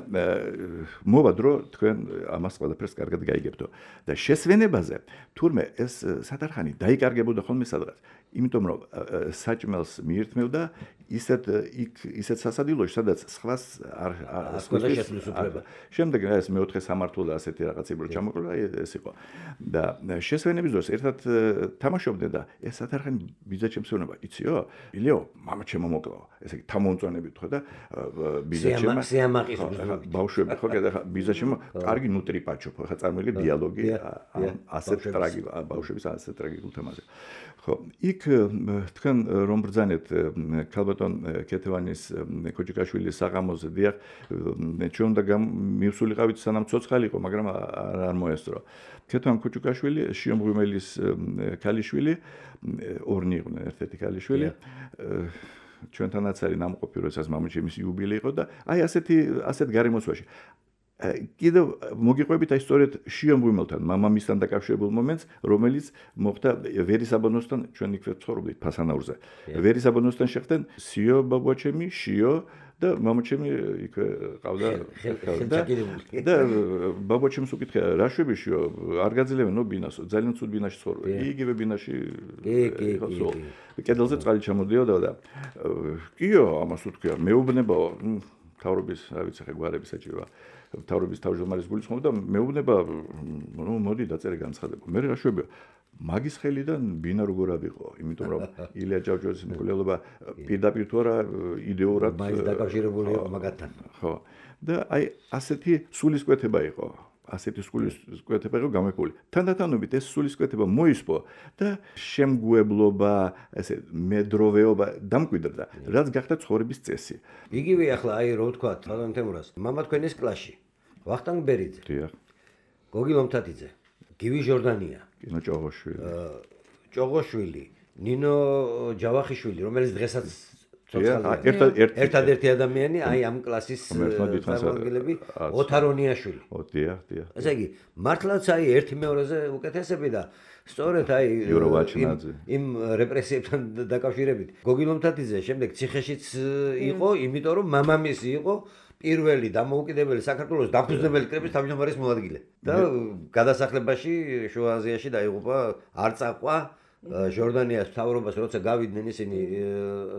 მოვა დრო თქვენ ამას ყველაფერს კარგად გაიგებთო. და შესვენებაზე თურმე ეს სათარხანი დაიკარგებოდა ხოლმე სადღაც. იმიტომ რომ საჭმელს მიირთმევდა ისეთ იქ ისეთ სასადილოში, სადაც სხვას არ არ შესვლის უფლება. შემდეგ ეს მეოთხე სამართლა ასეთი რაღაცები რო ჩამოყრა, ეს იყო. და შესვენების დროს ერთად თამაშობდნენ და ეს სათარხანი ბიძაჩემს ეუბნება, იციო? ილიო, მამაჩემო მოკლა. ესე იგი თამონწონებით ხო და ბიძაჩემა სიამაყის ბავშვები ხო და ბიძაჩემო კარგი ნუტრიპაჩო ხო ხა წარმოიდგინე დიალოგი ასეთ ტრაგი ბავშვების ასეთ ტრაგიკულ თემაზე. ხო, იქ თქვენ რომ ბრძანეთ ქალბატონ კეთევანის კოჭიკაშვილის საღამოზე დიახ ჩვენ უნდა მივსულიყავით სანამ ცოცხალი იყო, მაგრამ არ მოესწრო. კეთევან კოჭიკაშვილი შიომღვიმელის ქალიშვილი ორნი იყვნენ ერთ-ერთი ქალიშვილი. ჩვენთანაც არის ნამყოფი, როდესაც მამაჩემის იუბილე იყო და აი ასეთი ასეთ გარემოცვაში კიდევ მოგიყვებით აი სწორედ შიომღვიმელთან, მამამისთან დაკავშირებულ მომენტს, რომელიც მოხდა ვერისაბანოსთან, ჩვენ იქვე ცხოვრობდით ფასანაურზე. ვერისაბანოსთან შეხვდნენ სიო ბაბუაჩემი, შიო და მამაჩემი იქვე ყავდა და ბაბუაჩემს უკითხა რა შვებიშიო არ გაძლევენო ბინას ძალიან ცუდ ბინაში ცხოვრობ იგივე ბინაში ხო კედელზე წყალი ჩამოდიოდა და კიო ამას უთქია მეუბნებაო თავრობის რა ვიცი ხე გვარები საჭიროა თავრობის თავმჯდომარის გულისხმობა და მეუბნება ნუ მოდი დაწერე განცხადება მე რა შვებია მაგის ხელიდან ბინა როგორ ავიღო იმიტომ რომ ილია ჭავჭავაძის მკვლელობა პირდაპირ თუ არა იდეურად მაგის დაკავშირებული იყო მაგათთან ხო და აი ასეთი სულისკვეთება იყო ასეთი სულისკვეთება იყო გამეფული თანდათანობით ეს სულისკვეთება მოისპო და შემგუებლობა ესე მედროვეობა დამკვიდრდა რაც გახდა ცხოვრების წესი იგივე ახლა აი რო ვთქვა თალან თემურას მამა თქვენის კლასში ვახტანგ ბერიძე დიახ გოგი ლომთათიძე გივი ჟორდანია კინო ჭოღოშვილი ჭოღოშვილი ნინო ჯავახიშვილი, რომელიც დღესაც ერთადერთი ადამიანი, აი ამ კლასის წარმომადგენლები, ოთარონიაშვილი. დიახ, დიახ. ესე იგი, მართლაც აი ერთი მეორეზე უკეთესები და სწორედ აი იმ რეპრესიებთან დაკავშირებით. გოგი ლომთათიძე შემდეგ ციხეშიც იყო, იმიტომ რომ მამამისი იყო პირველი დამოუკიდებელი საქართველოს დამფუძნებელი კრების თავმჯდომარის მოადგილე და გადასახლებაში შუა აზიაში დაიღუპა, არ წაყვა ჟორდანიას მთავრობას, როცა გავიდნენ ისინი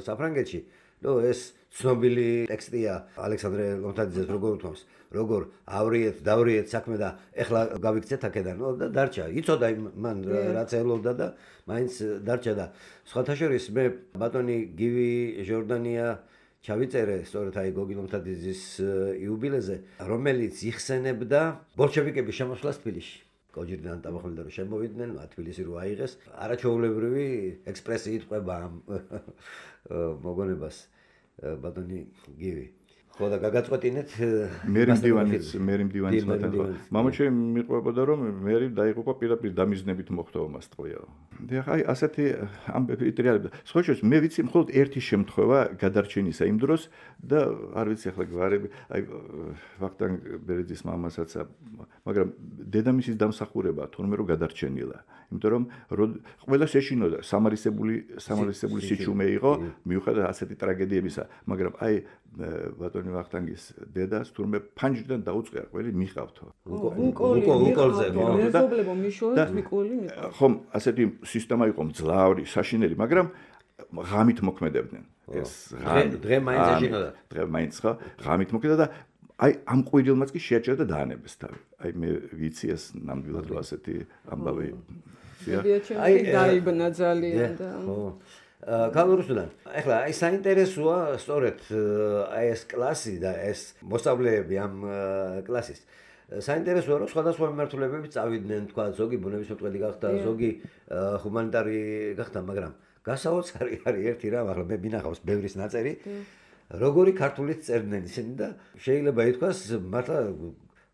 საფრანგეთში. ნუ ეს ცნობილი ტექსტია ალექსანდრე ლომთათიძეს როგორ უთმობს, როგორ ავრიეთ, დავრიეთ საქმე და ეხლა გავიქცეთ აქედან. ნუ და დარჩა, იცოდა მან რაც ელოდა და მაინც დარჩა და სხვათა შორის მე ბატონი გივი ჟორდანია ჩავიწერე სწორედ აი გოგი ლომთათიძის იუბილეზე, რომელიც იხსენებდა ბოლშევიკების შემოსვლას თბილისში. კოჯირიდან დამახმელდა რომ შემოვიდნენ, თბილისი რო აიღეს, არაჩვეულებრივი ექსპრესიით ყვება ამ მოგონებას ბატონი გივი. ხო და გაგაწყვეტინეთ მერი მდივანიც, მერი მდივანიც მათთან ხო. მამაჩემი მიყვებოდა რომ მერი დაიღუპა პირდაპირ დამიზნებით მოხდა ომას ტყვიაო. დიახ, აი ასეთი ამბები ტრიალებდა. სხვა შორის მე ვიცი მხოლოდ ერთი შემთხვევა გადარჩენისა იმ დროს და არ ვიცი ახლა გვარები, აი ვახტანგ ბერეძის მამასაც, მაგრამ დედამისის დამსახურება თორმე რომ გადარჩენილა. იმიტომ რომ ყველას ეშინოდა სამარისებული სამარისებული სიჩუმე იყო მიუხედავად ასეთი ტრაგედიებისა, მაგრამ აი ბატონი ვახტანგის დედას თურმე ფანჯრიდან დაუწყია, ყველი მიყავთო. უკოლი უკოლზე მეზობლებო მიშოვეთ მიკოლი მიყავთ. ხომ ასეთი სისტემა იყო მძლავრი, საშინელი, მაგრამ ღამით მოქმედებდნენ. ეს დღე მაინც ეშინოდა. დღე მაინც ხო, ღამით მოქმედებდა და აი ამ ყვირილმაც კი შეაჩერა და დაანებეს თავი. აი მე ვიცი ეს ნამდვილად რომ ასეთი ამბავი. აი დაიბნა ძალიან და ხო. კალორუსთან. ეხლა აი საინტერესოა სწორედ აი ეს კლასი და ეს მოსწავლეები ამ კლასის. საინტერესოა რომ სხვადასხვა მიმართულებები წავიდნენ, თქვა ზოგი ბუნებისმეტყველი გახდა, ზოგი ჰუმანიტარი გახდა, მაგრამ გასაოცარი არის ერთი რამ, ახლა მე მინახავს ბევრის ნაწერი, როგორი ქართულით წერდნენ ისინი და შეიძლება ითქვას მართლა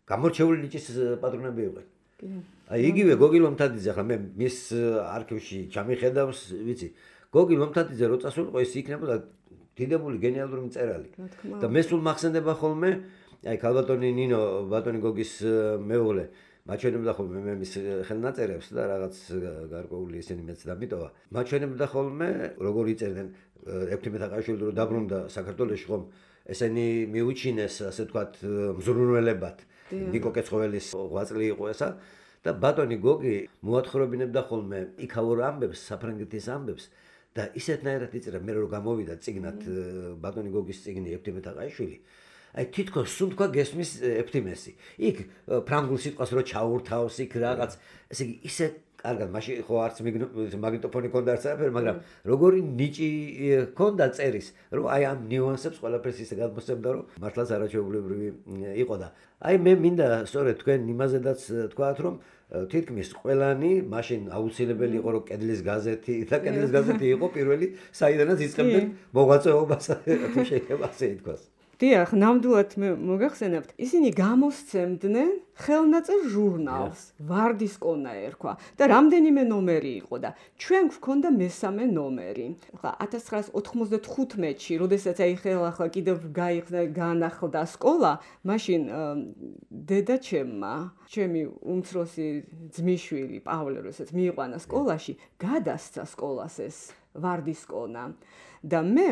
გამორჩეული ნიჭის პატრონები იყვნენ. აი იგივე გოგი ლომთათიძე, ახლა მე მის არქივში ჩამიხედავს, ვიცი, გოგი ლომთათიძე რო წასულიყო, ის იქნებოდა დიდებული გენიალური მწერალი. და მე სულ მახსენდება ხოლმე, აი ქალბატონი ნინო, ბატონი გოგის მეუღლე, მაჩვენებდა ხოლმე მე მის ხელნაწერებს და რაღაც გარკვეული ისინი მეც დამიტოვა. მაჩვენებდა ხოლმე, როგორ იწერდნენ ექვთიმე თაყაიშვილი რო დაბრუნდა საქართველოში ხომ, ესენი მიუჩინეს, ასე ვთქვათ, მზრუნველებად. ნიკო კეცხოველის ღვაწლი იყო ესა და ბატონი გოგი მოათხრობინებდა ხოლმე იქაურ ამბებს, საფრანგეთის ამბებს და ისეთნაირად იწერა, მე რო გამოვიდა წიგნად ბატონი გოგის წიგნი ექვთიმე თაყაიშვილი. აი თითქოს სულ თქვა გესმის ეფთიმესი. იქ ფრანგულ სიტყვას რო ჩაურთავს, იქ რაღაც, ესე იგი ისე კარგად, მაშინ ხო არც მაგნიტოფონი ქონდა არც არაფერი, მაგრამ როგორი ნიჭი ქონდა წერის, რომ აი ამ ნიუანსებს ყველაფერს ისე გადმოსცემდა, რომ მართლაც არაჩვეულებრივი იყო და აი მე მინდა სწორედ თქვენ იმაზედაც თქვათ, რომ თითქმის ყველანი მაშინ აუცილებელი იყო, რომ კედლის გაზეთი და კედლის გაზეთი იყო პირველი, საიდანაც იწყებდნენ მოღვაწეობას, თუ შეიძლება ასე ითქვას. დიახ, ნამდვილად მე მოგახსენებთ, ისინი გამოსცემდნენ ხელნაწერ ჟურნალს, ვარდისკონა ერქვა და რამდენიმე ნომერი იყო და ჩვენ გვქონდა მესამე ნომერი. ახლა ათას ცხრაას ოთხმოცდათხუთმეტში, როდესაც აი ხელა ახლა კიდევ განახლდა სკოლა, მაშინ დედა ჩემმა, ჩემი უმცროსი ძმისშვილი პავლე, როდესაც მიიყვანა სკოლაში, გადასცა სკოლას ეს ვარდისკონა და მე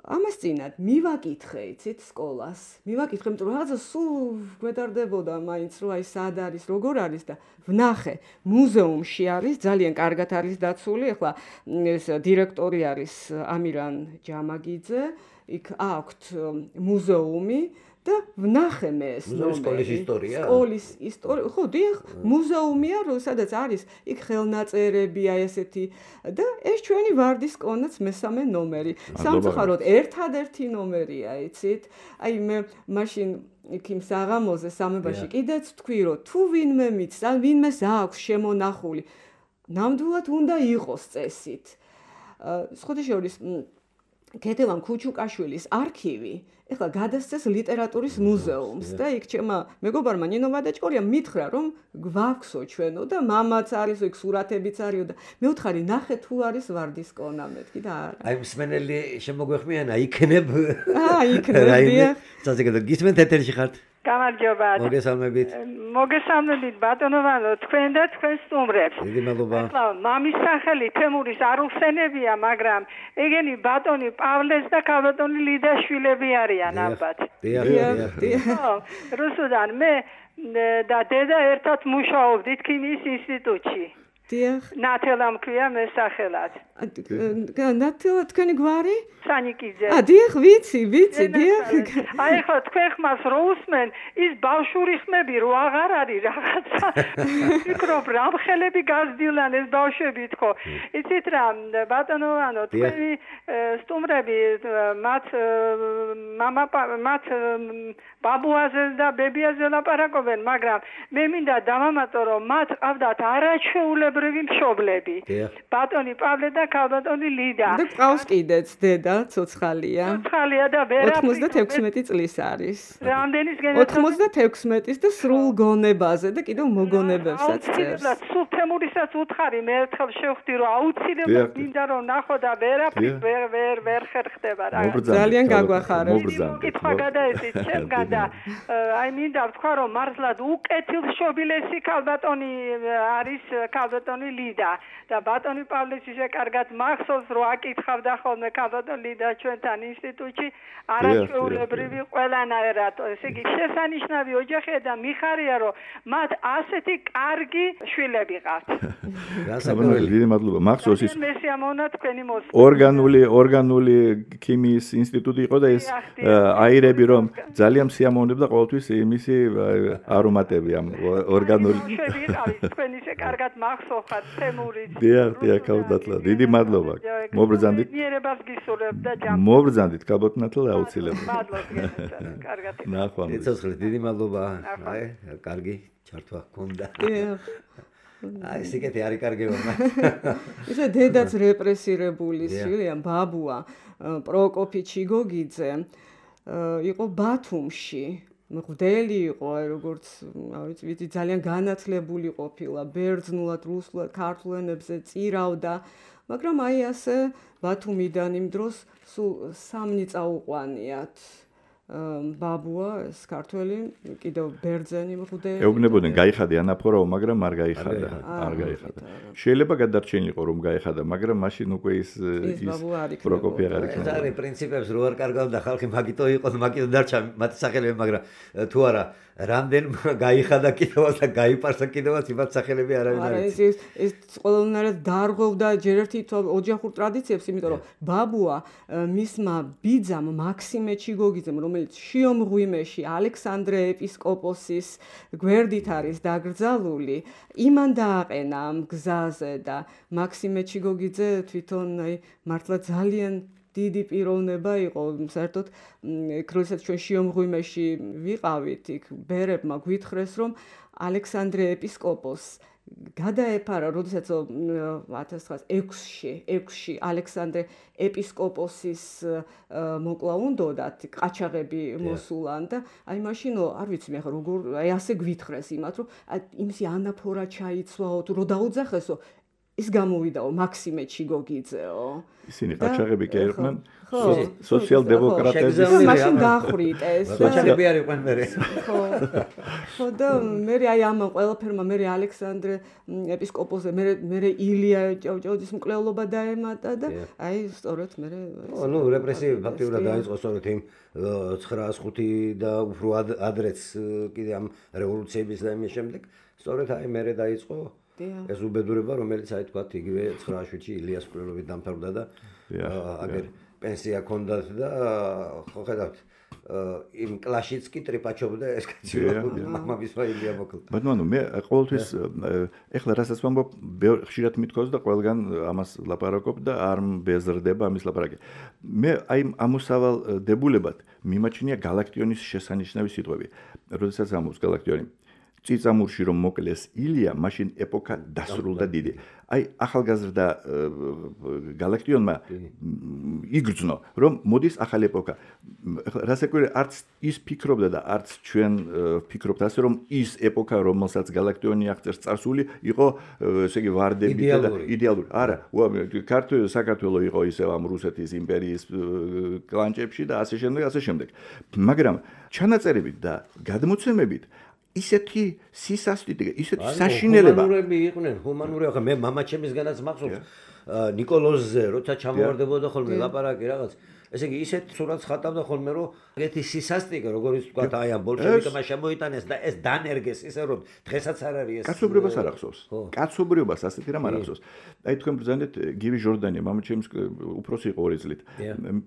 ამას წინათ მივაკითხე, იცით, სკოლას. მივაკითხე, იმიტომ რომ რაღაცა სულ გვედარდებოდა მაინც, რომ აი სად არის, როგორ არის და ვნახე, მუზეუმში არის, ძალიან კარგად არის დაცული. ახლა ეს დირექტორი არის ამირან ჯამაგიძე, იქ აქვთ მუზეუმი და ვნახე მე ეს სკოლის ისტორია. სკოლის ისტორია, ხო, დიახ, მუზეუმია, სადაც არის იქ ხელნაწერები, აი ესეთი და ეს ჩვენი ვარდისკონაც მესამე ნომერი. სამწუხაროდ ერთადერთი ნომერია, იცით? აი მე მაშინ იქ იმ საღამოზე სამებაში კიდეც თქვი, რომ თუ ვინმე მიცს, ან ვინმეს აქვს შემონახული, ნამდვილად უნდა იყოს წესით. სხვათა შორის ქეთევან ქუჩუკაშვილის არქივი ეხლა გადასცეს ლიტერატურის მუზეუმს და იქ ჩემმა მეგობარმა ნინო ვადაჭკორიამ მითხრა რომ გვაქვსო ჩვენო და მამაც არის იქ სურათებიც არისო და მე ვთხარი ნახე თუ არის ვარდისკონა მეთქი და არა აი მსმენელი შემოგვეხმიანა იქნებ აა იქნებია საზოგადო გისმენთ ეთერში ხართ გამარჯობა მოგესალმებით მოგესალმებით ბატონო ვანო თქვენ და თქვენ სტუმრებს დიდი მადლობა ახლა მამის სახელი თემურის არ უხსენებია მაგრამ ეგენი ბატონი პავლეს და ქალბატონი ლიდაშვილები არიან ალბათ დიახ დიახ დიახ რუსუდან მე და დედა ერთად მუშაობდით ქიმიის ინსტიტუტში დიახ ნათელა მქვია მე სახელად ნათელა თქვენი გვარი სანიკიძე ა დიახ ვიცი ვიცი დიახ აი ხო თქვენ ხმას რო უსმენ ის ბავშვური ხმები რო აღარ არის რაღაცა ფიქრობ რა ხელები გაზდილან ეს ბავშვები თქო იცით რა ბატონო ანუ თქვენი სტუმრები მათ мама მათ ბაბუაზე და ბებიაზე ლაპარაკობენ მაგრამ მე მინდა დავამატო რომ მათ ყავდათ არაჩვეულებრივი მშობლები ბატონი პავლე და ქალბატონი ლიდა და ყავს კიდეც დედა ცოცხალია ცოცხალია და ვერაფერი ოცდათექვსმეტი წლის არის რამდენის გენერაცია ოცდათექვსმეტის და სრულ გონებაზე და კიდევ მოგონებებსაც წერს სულ თემურისაც უთხარი მე ერთხელ შევხვდი რომ აუცილებლად მინდა რომ ნახო და ვერაფერი ვერ ვერ ვერ ხერხდება რა ძალიან გაგვახარებ კითხვა გადაეცით ჩემგან და აი მინდა ვთქვა რომ მართლად უკეთილშობილესი ქალბატონი არის ქალბატონი ლიდა და ბატონი პავლეს ისე კარგად მახსოვს რომ აკითხავდა ხოლმე ქალბატონი ლიდა ჩვენთან ინსტიტუტში არაჩვეულებრივი ყველანაირად ესე იგი შესანიშნავი ოჯახია და მიხარია რომ მათ ასეთი კარგი შვილები ყავთ გასაგებია დიდი მადლობა მახსოვს ის მესიამონა თქვენი მოსვლა ორგანული ორგანული ქიმიის ინსტიტუტი იყო და ეს აირები რომ ძალიან სიამოვნებდა ყოველთვის იმისი არომატები ამ ორგანული შვები ყავით თქვენ ისე კარგად მახსოვხართ თემურიც დიახ დიახ ქალბატონო დიდი მადლობა მობრძანდით მიერებას გისურვებ და ჯამ მობრძანდით ქალბატონო აუცილებლად მადლობა კარგად ნახვამდის ეცოცხლეთ დიდი მადლობა აი კარგი ჩართვა გქონდა აი სიკეთე არის კარგება ისე დედაც რეპრესირებული შვილია ბაბუა პროკოფი ჩიგოგიძე იყო ბათუმში მღვდელი იყო აი როგორც ავიც ვიცი ძალიან განათლებული ყოფილა ბერძნულად რუსულად ქართულ ენებზე წირავდა მაგრამ აი ასე ბათუმიდან იმ დროს სულ სამნი წაუყვანიათ ბაბუა ეს ქართველი კიდევ ბერძენი მღვდელი ეუბნებოდნენ გაიხადა ანაფორაო მაგრამ არ გაიხადა არ გაიხადა შეიძლება გადარჩენილიყო რომ გაიხადა მაგრამ მაშინ უკვე ის ის პროკოფი აღარ იქნება ეს არის პრინციპებს რო არ კარგავდა ხალხი მაგიტო იყო მაგიტო დარჩა მათ სახელები მაგრამ თუ არა რამდენ გაიხადა კიდევაც და გაიპარსა კიდევაც იმათ სახელები არავინ არ არის ეს ეს ყველანაირად დარღვევდა ჯერ ერთი ოჯახურ ტრადიციებს იმიტომ რომ ბაბუა მისმა ბიძამ მაქსიმე ჩიგოგიძემ რომელიც შიომღვიმეში ალექსანდრე ეპისკოპოსის გვერდით არის დაკრძალული იმან დააყენა ამ გზაზე და მაქსიმე ჩიგოგიძე თვითონ აი მართლა ძალიან დიდი პიროვნება იყო საერთოდ როდესაც ჩვენ შიომღვიმეში ვიყავით იქ ბერებმა გვითხრეს რომ ალექსანდრე ეპისკოპოსს გადაეფარა როდესაც ათას ექვსში ექვსში ალექსანდრე ეპისკოპოსის მოკლა უნდათ ყაჩაღები მოსულან და აი მაშინო არ ვიცი მე ხა როგორ აი ასე გვითხრეს იმათ რომ იმისი ანაფორა ჩაიცვაო თუ რო დაუძახესო ის გამოვიდაო მაქსიმე ჩიგოგიძეო ისინი ყაჩაღები კი არიან სოციალ-დემოკრატები მაშინ დახრიტეს ყაჩაღები არ იყვნენ მე ხო ხო და მე აი ამ ყველაფერმა მე ალექსანდრე ეპისკოპოსზე მე მე ილია ჭავჭავაძის მკვლელობა დაემატა და აი სწორედ მე ნუ რეპრესიები ფაქტიურად დაიწყო სწორედ იმ ცხრაას ხუთი და უფრო ადრეც კიდე ამ რევოლუციების და იმის შემდეგ სწორედ აი მე დაიწყო ეს უბედურება რომელიც აი თქვა იგივე ცხრაასშვიდში ილიას მკვლელობით დამთავრდა და აგერ პენსია ჰქონდათ და ხო ხედავთ იმ კლაშიც კი ტრიპაჩობდა ეს კაცი მამის ვაილია მოკლდა ბატონო მე ყოველთვის ეხლა რასაც ვამბობ ხშირად მithქოს და ყველგან ამას ლაპარაკობ და არ მბეზრდება ამის ლაპარაკი მე აი ამოსავალ დებულებად მიმაჩნია გალაქტიონის შესანიშნავი სიტყვები როდესაც ამობს გალაქტიონი წიწამურში რომ მოკლეს ილია, მაშინ ეპოქა დასრულდა დიდი. აი ახალგაზრდა გალაქტიონმა იგრძნო, რომ მოდის ახალი ეპოქა. რასაკვირველია, არც ის ფიქრობდა და არც ჩვენ ფიქრობთ ასე, რომ ის ეპოქა, რომელსაც გალაქტიონი აღწერს წარსული, იყო ესე იგი ვარდები და იდეალური. არა, ქართული საქართველო იყო ისევ ამ რუსეთის იმპერიის კლანჭებში და ასე შემდეგ, ასე შემდეგ. მაგრამ ჩანაწერებით და გადმოცემებით ისეთი სისასტიკე, ისეთი საშინელება. ჰუმანურები იყვნენ, ჰუმანური, ახლა მე მამაჩემისგანაც მახსოვს ნიკოლოზზე, როცა ჩამოვარდებოდა ხოლმე ლაპარაკი რაღაც. ესე იგი, ისეთ სურათს ხატავდა ხოლმე, რომ ეგეთი სისასტიკე, როგორც თქვა, აი ამ ბოლშევიკებმა შემოიტანეს და ეს დანერგეს, ისე რომ დღესაც არ არის ეს. კაცობრიობას არ ახსოვს. კაცობრიობას ასეთი რამ არ ახსოვს. აი თქვენ ბრძანეთ გივი ჟორდანია, მამაჩემის უფროსი იყო ორი წლით.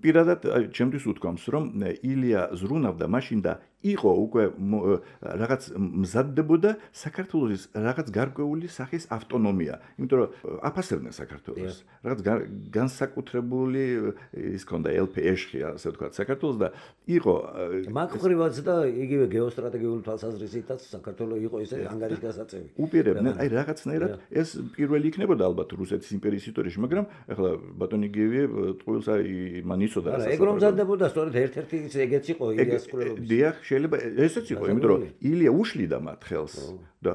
პირადად ჩემთვის უთქვამს, რომ ილია ზრუნავდა მაშინ და იყო უკვე რაღაც მზადდებოდა საქართველოს რაღაც გარკვეული სახის ავტონომია, იმიტომ რომ აფასებდნენ საქართველოს. რაღაც განსაკუთრებული ის ქონდა ელპეეშხი, ასე ვთქვათ, საქართველოს და იყო მაგხრივაც და იგივე გეოსტრატეგიული თვალსაზრისითაც საქართველოს იყო ისე ანგარიშგასაწევი. უპირებდნენ, აი რაღაცნაირად ეს პირველი იქნებოდა ალბათ რუსეთის იმპერიის ისტორიაში, მაგრამ ახლა ბატონი გივი ტყუილს აი მან იცოდა რა. ეგ რომ მზადდებოდა, სწორედ ერთ-ერთი ეგეც იყო ილიას კვლევებში. დიახ, შეიძლება ესეც იყო, იმიტომ რომ ილია უშლიდა მათ ხელს და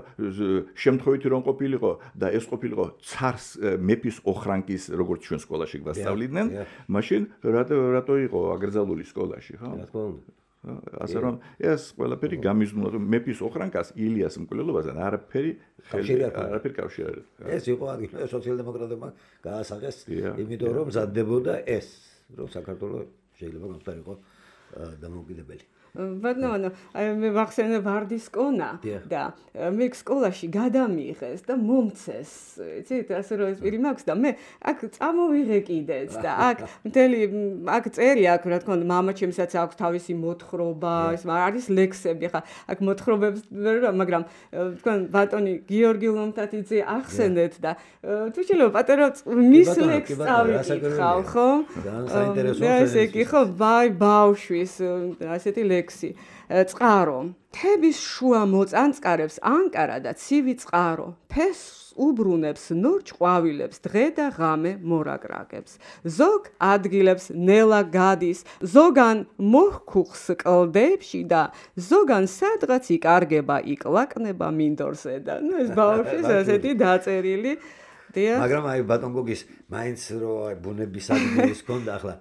შემთხვევითი რომ ყოფილიყო და ეს ყოფილიყო ცარს მეფის ოხრანკის, როგორც ჩვენ სკოლაში გვასწავლიდნენ, მაშინ რატო იყო აკრძალული სკოლაში, ხო? რა თქმა უნდა. ასე რომ ეს ყველაფერი გამიზნულა, რომ მეფის ოხრანკას ილიას მკვლელობასთან არაფერი არაფერი კავშირი არ აქვს. ეს იყო ადგილი სოციალ-დემოკრატებმა გაასაღეს, იმიტომ რომ მზადდებოდა ეს, რომ საქართველოს შეიძლება გამხდარიყო დამოუკიდებელი. ბატონო, აი მე ვახსენე ვარდის კონა და მე სკოლაში გადამიღეს და მომცეს, იცით, ასე რომ ეს პირი მაქვს და მე აქ წამოვიღე კიდეც და აქ მთელი აქ წერი აქ რა თქმა უნდა მამაჩემსაც აქვს თავისი მოთხრობა, ეს არის ლექსები, ხა აქ მოთხრობებს მაგრამ თქვენ ბატონი გიორგი ლომთათიძე ახსენეთ და თუ შეიძლება პატარა მის ლექსს წავიკითხავ, ხო? და ესე იგი ხო, ბაი ბავშვის ასეთი ლექსი წყარო თების შუა მოწანწკარებს ანკარა და ცივი წყარო ფესს უბრუნებს ნორჩ ყვავილებს დღე და ღამე მორაგრაგებს ზოგ ადგილებს ნელა გადის ზოგან მოხუხს კლდებში და ზოგან სადღაც იკარგება იკლაკნება მინდორზე და ნუ ეს ბავშვის ასეთი დაწერილი მაგრამ აი ბატონ გოგის მაინც რო აი ბუნების ადგილის ქონდა ახლა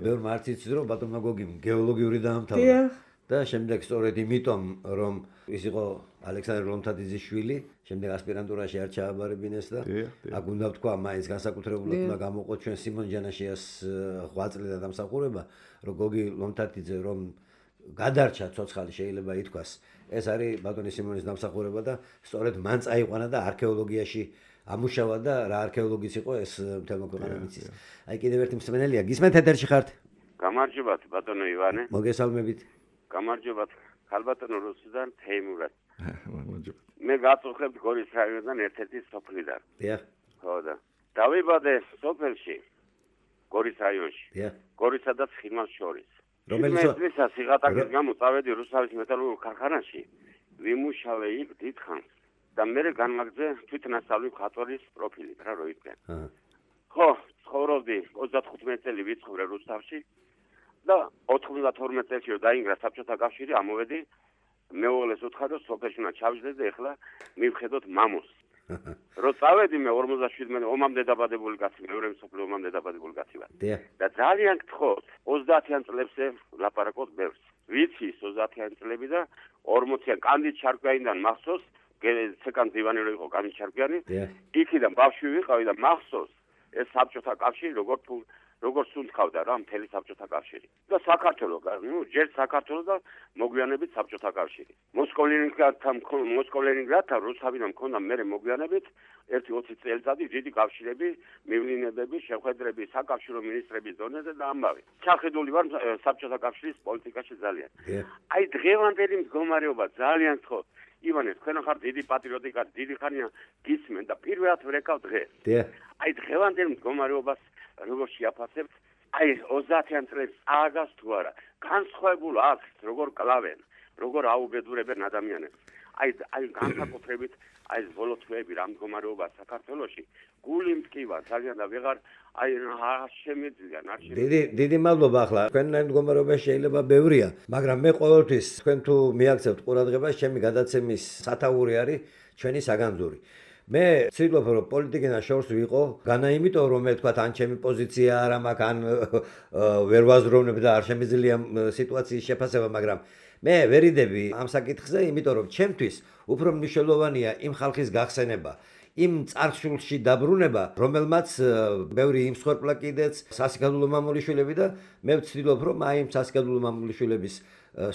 ბევრ მარტიც რო ბატონ გოგიმ გეოლოგიური დაამთავრა და შემდეგ სწორედ იმიტომ რომ ის იყო ალექსანდრე ლომთათიძის შვილი შემდეგ ასპირანტურაში არ ჩააბარებინეს და აქ უნდა ვთქვა მაინც განსაკუთრებულად უნდა გამოყო ჩვენ სიმონ ჯანაშიას ღვაწლი და დამსახურება რომ გოგი ლომთათიძე რომ გადარჩა ცოცხალი შეიძლება ითქვას ეს არის ბატონი სიმონის დამსახურება და სწორედ მან წაიყვანა და არქეოლოგიაში ამუშავა და რა არქეოლოგიც იყო ეს მთელმა ქვეყანამ იცის. აი კიდევ ერთი მსმენელია, გისმენთ ეთერში ხართ? გამარჯობათ ბატონო ივანე. მოგესალმებით. გამარჯობათ ქალბატონო რუსიდან თეიმურად. გამარჯობათ. მე გაწუხებთ გორის რაიონიდან ერთ-ერთი სოფლიდან. დიახ. ხო და დავიბადე სოფელში გორის რაიონში. დიახ. გორისა და ცხინვალს შორის. რომელიც წლისა სიღატაკის გამო წავედი რუსთავის მეტალურგიულ ქარხანაში, ვიმუშავე იქ დიდ ხანს. და მე განმაგძე თვითნასწავლი მხატვარის პროფილით რა როიდგენ. ხო, ცხოვრობდი ოცდათხუთმეტი წელი ვიცხოვრე რუსთავში და ოთხმოცდათორმეტ წელში რომ დაინგრა საბჭოთა კავშირი, ამოვედი მეუღლეს უთხრა რომ სოფელში უნდა ჩავიდეს და ეხლა მივხედოთ მამოს. რო წავედი მე ორმოცდაშვიდმეტი ომამდე დაბადებული კაცი, მეორე მსოფლიო ომამდე დაბადებული კაცი ვარ. და ძალიან გთხოვთ ოცდაათიან წლებზე ლაპარაკობთ ბევრს. ვიცი ოცდაათიან წლები და ორმოციან კანდიდ ჩარკვიანიდან მახსოვს ცეკან დივანი რო იყო კანი ჩარკვიანი იქიდან ბავშვი ვიყავი და მახსოვს ეს საბჭოთა კავშირი როგორ თუ როგორ სუნთქავდა რა მთელი საბჭოთა კავშირი და საქართველოს ნუ ჯერ საქართველოს და მოგვიანებით საბჭოთა კავშირი მოსკოვ-ლენინგრადთან მოსკოვ-ლენინგრადთან რუსთავიდან მქონდა მე მოგვიანებით ერთი ოცი წელიწადი დიდი კავშირები მივლინებები შეხვედრები საკავშირო მინისტრების დონეზე და ამბავი ჩახედული ვარ საბჭოთა კავშირის პოლიტიკაში ძალიან აი დღევანდელი მდგომარეობა ძალიან ხო ივანე, თქვენ ხართ დიდი პატრიოტი, დიდი ხანია გისმენ და პირველად ვერეკავ დღეს. აი დღევანდელ მდგომარეობას როგორ შეაფასებთ? აი ოცდაათიან წლებს აღას თუ არა, განსხვავებულ აქს როგორ კლავენ როგორ აუბედურებენ ადამიანებს. აი აი განსაკუთრებით აი ბოლო თვეები რა მდგომარეობა საქართველოში გული მტკივა ძალიან და ვეღარ აი არ შემიძლია არ შემიძლია დიდი დიდი მადლობა ახლა თქვენთან მდგომარეობა შეიძლება ბევრია მაგრამ მე ყოველთვის თქვენ თუ მიაქცევთ ყურადღებას ჩემი გადაცემის სათაური არის ჩვენი საგანძური მე ვცდილობ რომ პოლიტიკიდან შორს ვიყო განა იმიტომ რომ მე თქვა ან ჩემი პოზიცია არ მაქვს ან ვერ ვაზროვნებ და არ შემიძლია სიტუაციის შეფასება მაგრამ მე ვერიდები ამ საკითხზე იმიტომ რომ ჩემთვის უფრო მნიშვნელოვანია იმ ხალხის გახსენება იმ წარსულში დაბრუნება რომელმაც ბევრი იმსხვერპლა კიდეც სასიკადულო მამულიშვილები და მე ვცდილობ რომ აი იმ სასიკადულო მამულიშვილების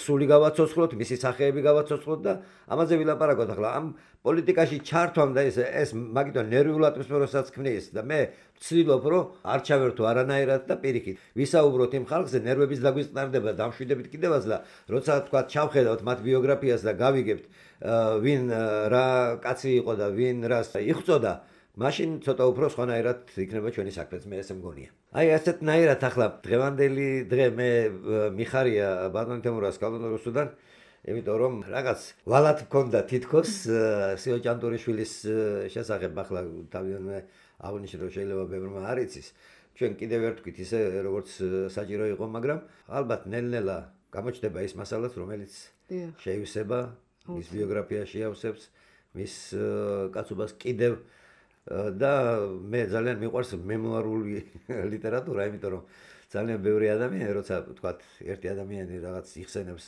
სული გავაცოცხლოთ მისი სახეები გავაცოცხლოთ და ამაზე ვილაპარაკოთ ახლა ამ პოლიტიკაში ჩართვამ და ეს ეს მაგითო ნერვიულ ატმოსფეროსაც ქმნის და მე ვცდილობ რომ არ ჩავერთო არანაირად და პირიქით ვისაუბროთ იმ ხალხზე ნერვების დაგვისწარდება დამშვიდებით კიდევაც და როცა თქვა ჩავხედავთ მათ ბიოგრაფიას და გავიგებთ ვინ რა კაცი იყო და ვინ რას იხწოდა მაშინ ცოტა უფრო სხვანაირად იქნება ჩვენი საქმეც მე ესე მგონია აი ასეთნაირად ახლა დღევანდელი დღე მე მიხარია ბატონ თემურას კალონოროსუდან იმიტომ რომ რაღაც ვალად მქონდა თითქოს სიო ჭანტურიშვილის შესახებ ახლა თავიანთი აღნიშნე რომ შეიძლება ბევრმა არ იცის ჩვენ კიდევ ვერ თქვით ისე როგორც საჭირო იყო მაგრამ ალბათ ნელ-ნელა გამოჩნდება ის მასალაც რომელიც შეივსება მის ბიოგრაფიაში ავსებს მის კაცობას კიდევ და მე ძალიან მიყვარს მემუარული ლიტერატურა იმიტომ რომ ძალიან ბევრი ადამიანი როცა ვთქვათ ერთი ადამიანი რაღაც იხსენებს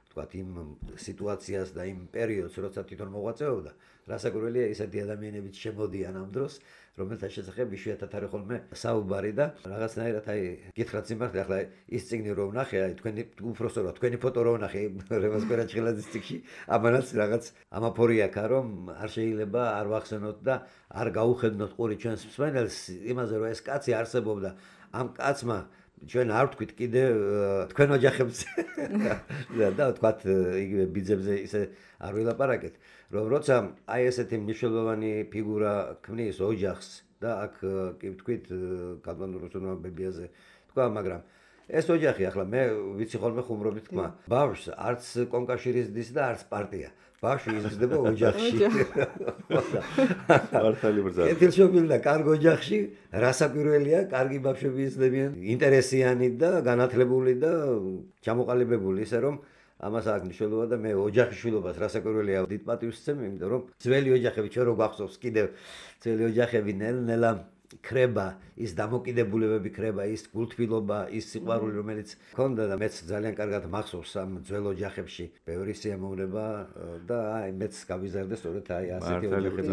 ვთქვათ იმ სიტუაციას და იმ პერიოდს როცა თვითონ მოღვაწეობდა რასაკვირველია ისეთი ადამიანებიც შემოდიან ამ დროს რომელთა შესახებ იშვიათად არის ხოლმე საუბარი და რაღაცნაირად აი გითხრათ სიმართლე ახლა ის წიგნი რომ ვნახე აი თქვენი უბრალოდ თქვენი ფოტო რომ ვნახე რემას კვერაჩხილაძის წიგნში ამანაც რაღაც ამაფორი აქვს რომ არ შეიძლება არ ვახსენოთ და არ გაუხედნოთ ყური ჩვენს მსმენელს იმაზე რომ ეს კაცი არსებობდა ამ კაცმა ჩვენ არ ვთქვით კიდე თქვენ ოჯახებს და ვთქვათ იგივე ბიძებზე ისე არ ვილაპარაკეთ რომ როცა აი ესეთი მნიშვნელოვანი ფიგურა ქმნის ოჯახს და აქ კი ვთქვით კალონოროსუდან ბებიაზე თქვა მაგრამ ეს ოჯახი ახლა მე ვიცი ხოლმე ხუმრობით თქვა ბავშვს არც კონკავშირის დის და არც პარტია ბავშვი იზრდება ოჯახში მართალი ბრძალა ეთილშობილი და კარგ ოჯახში რასაკვირველია კარგი ბავშვები იზრდებიან ინტერესიანი და განათლებული და ჩამოყალიბებული ისე რომ ამას აქვს მნიშვნელობა და მე ოჯახის შვილობას რასაკვირველია დიდ პატივს ვცემ იმიტომ რომ ძველი ოჯახები ჩვენ რო გვახსოვს კიდევ ძველი ოჯახები ნელ-ნელა ქრება ის დამოკიდებულებები ქრება ის გულთბილობა ის სიყვარული რომელიც ჰქონდა და მეც ძალიან კარგად მახსოვს ამ ძველ ოჯახებში ბევრი სიამოვნება და აი მეც გავიზარდე სწორედ აი ასეთი ოჯახების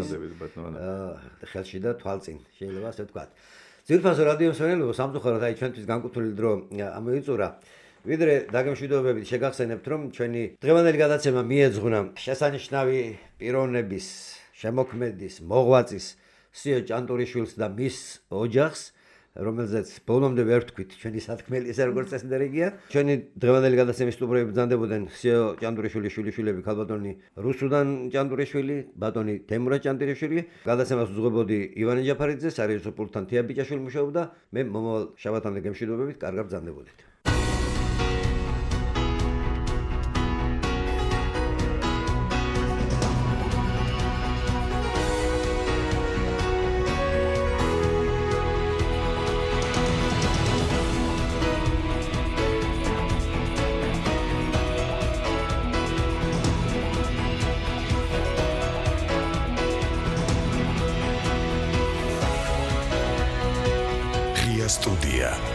ხელში და თვალწინ შეიძლება ასე ვთქვათ ძირფასო რადიო მსმენელებო სამწუხაროდ აი ჩვენთვის განკუთვნილი დრო ამოიწურა ვიდრე დაგემშვიდობებით შეგახსენებთ რომ ჩვენი დღევანდელი გადაცემა მიეძღვნა შესანიშნავი პიროვნების შემოქმედის მოღვაწის სიო ჭანტურიშვილს და მის ოჯახს რომელზეც ბოლომდე ვერ ვთქვით ჩვენი სათქმელი ესე როგორც წესდერიგია ჩვენი დღევანდელი გადაცემის სტუმრები ბრძანდებოდნენ სიო ჭანტურიშვილის შვილიშვილები ქალბატონი რუსუდან ჭანტურიშვილი ბატონი თემურა ჭანტურიშვილი გადაცემას უძღვებოდი ივანე ჯაფარიძე სარეჟისო პულტთან თია ბიჭაშვილი მუშაობდა მე მომავალ შაბათამდე გემშვიდობებით კარგად ბრძანდებოდით Студия.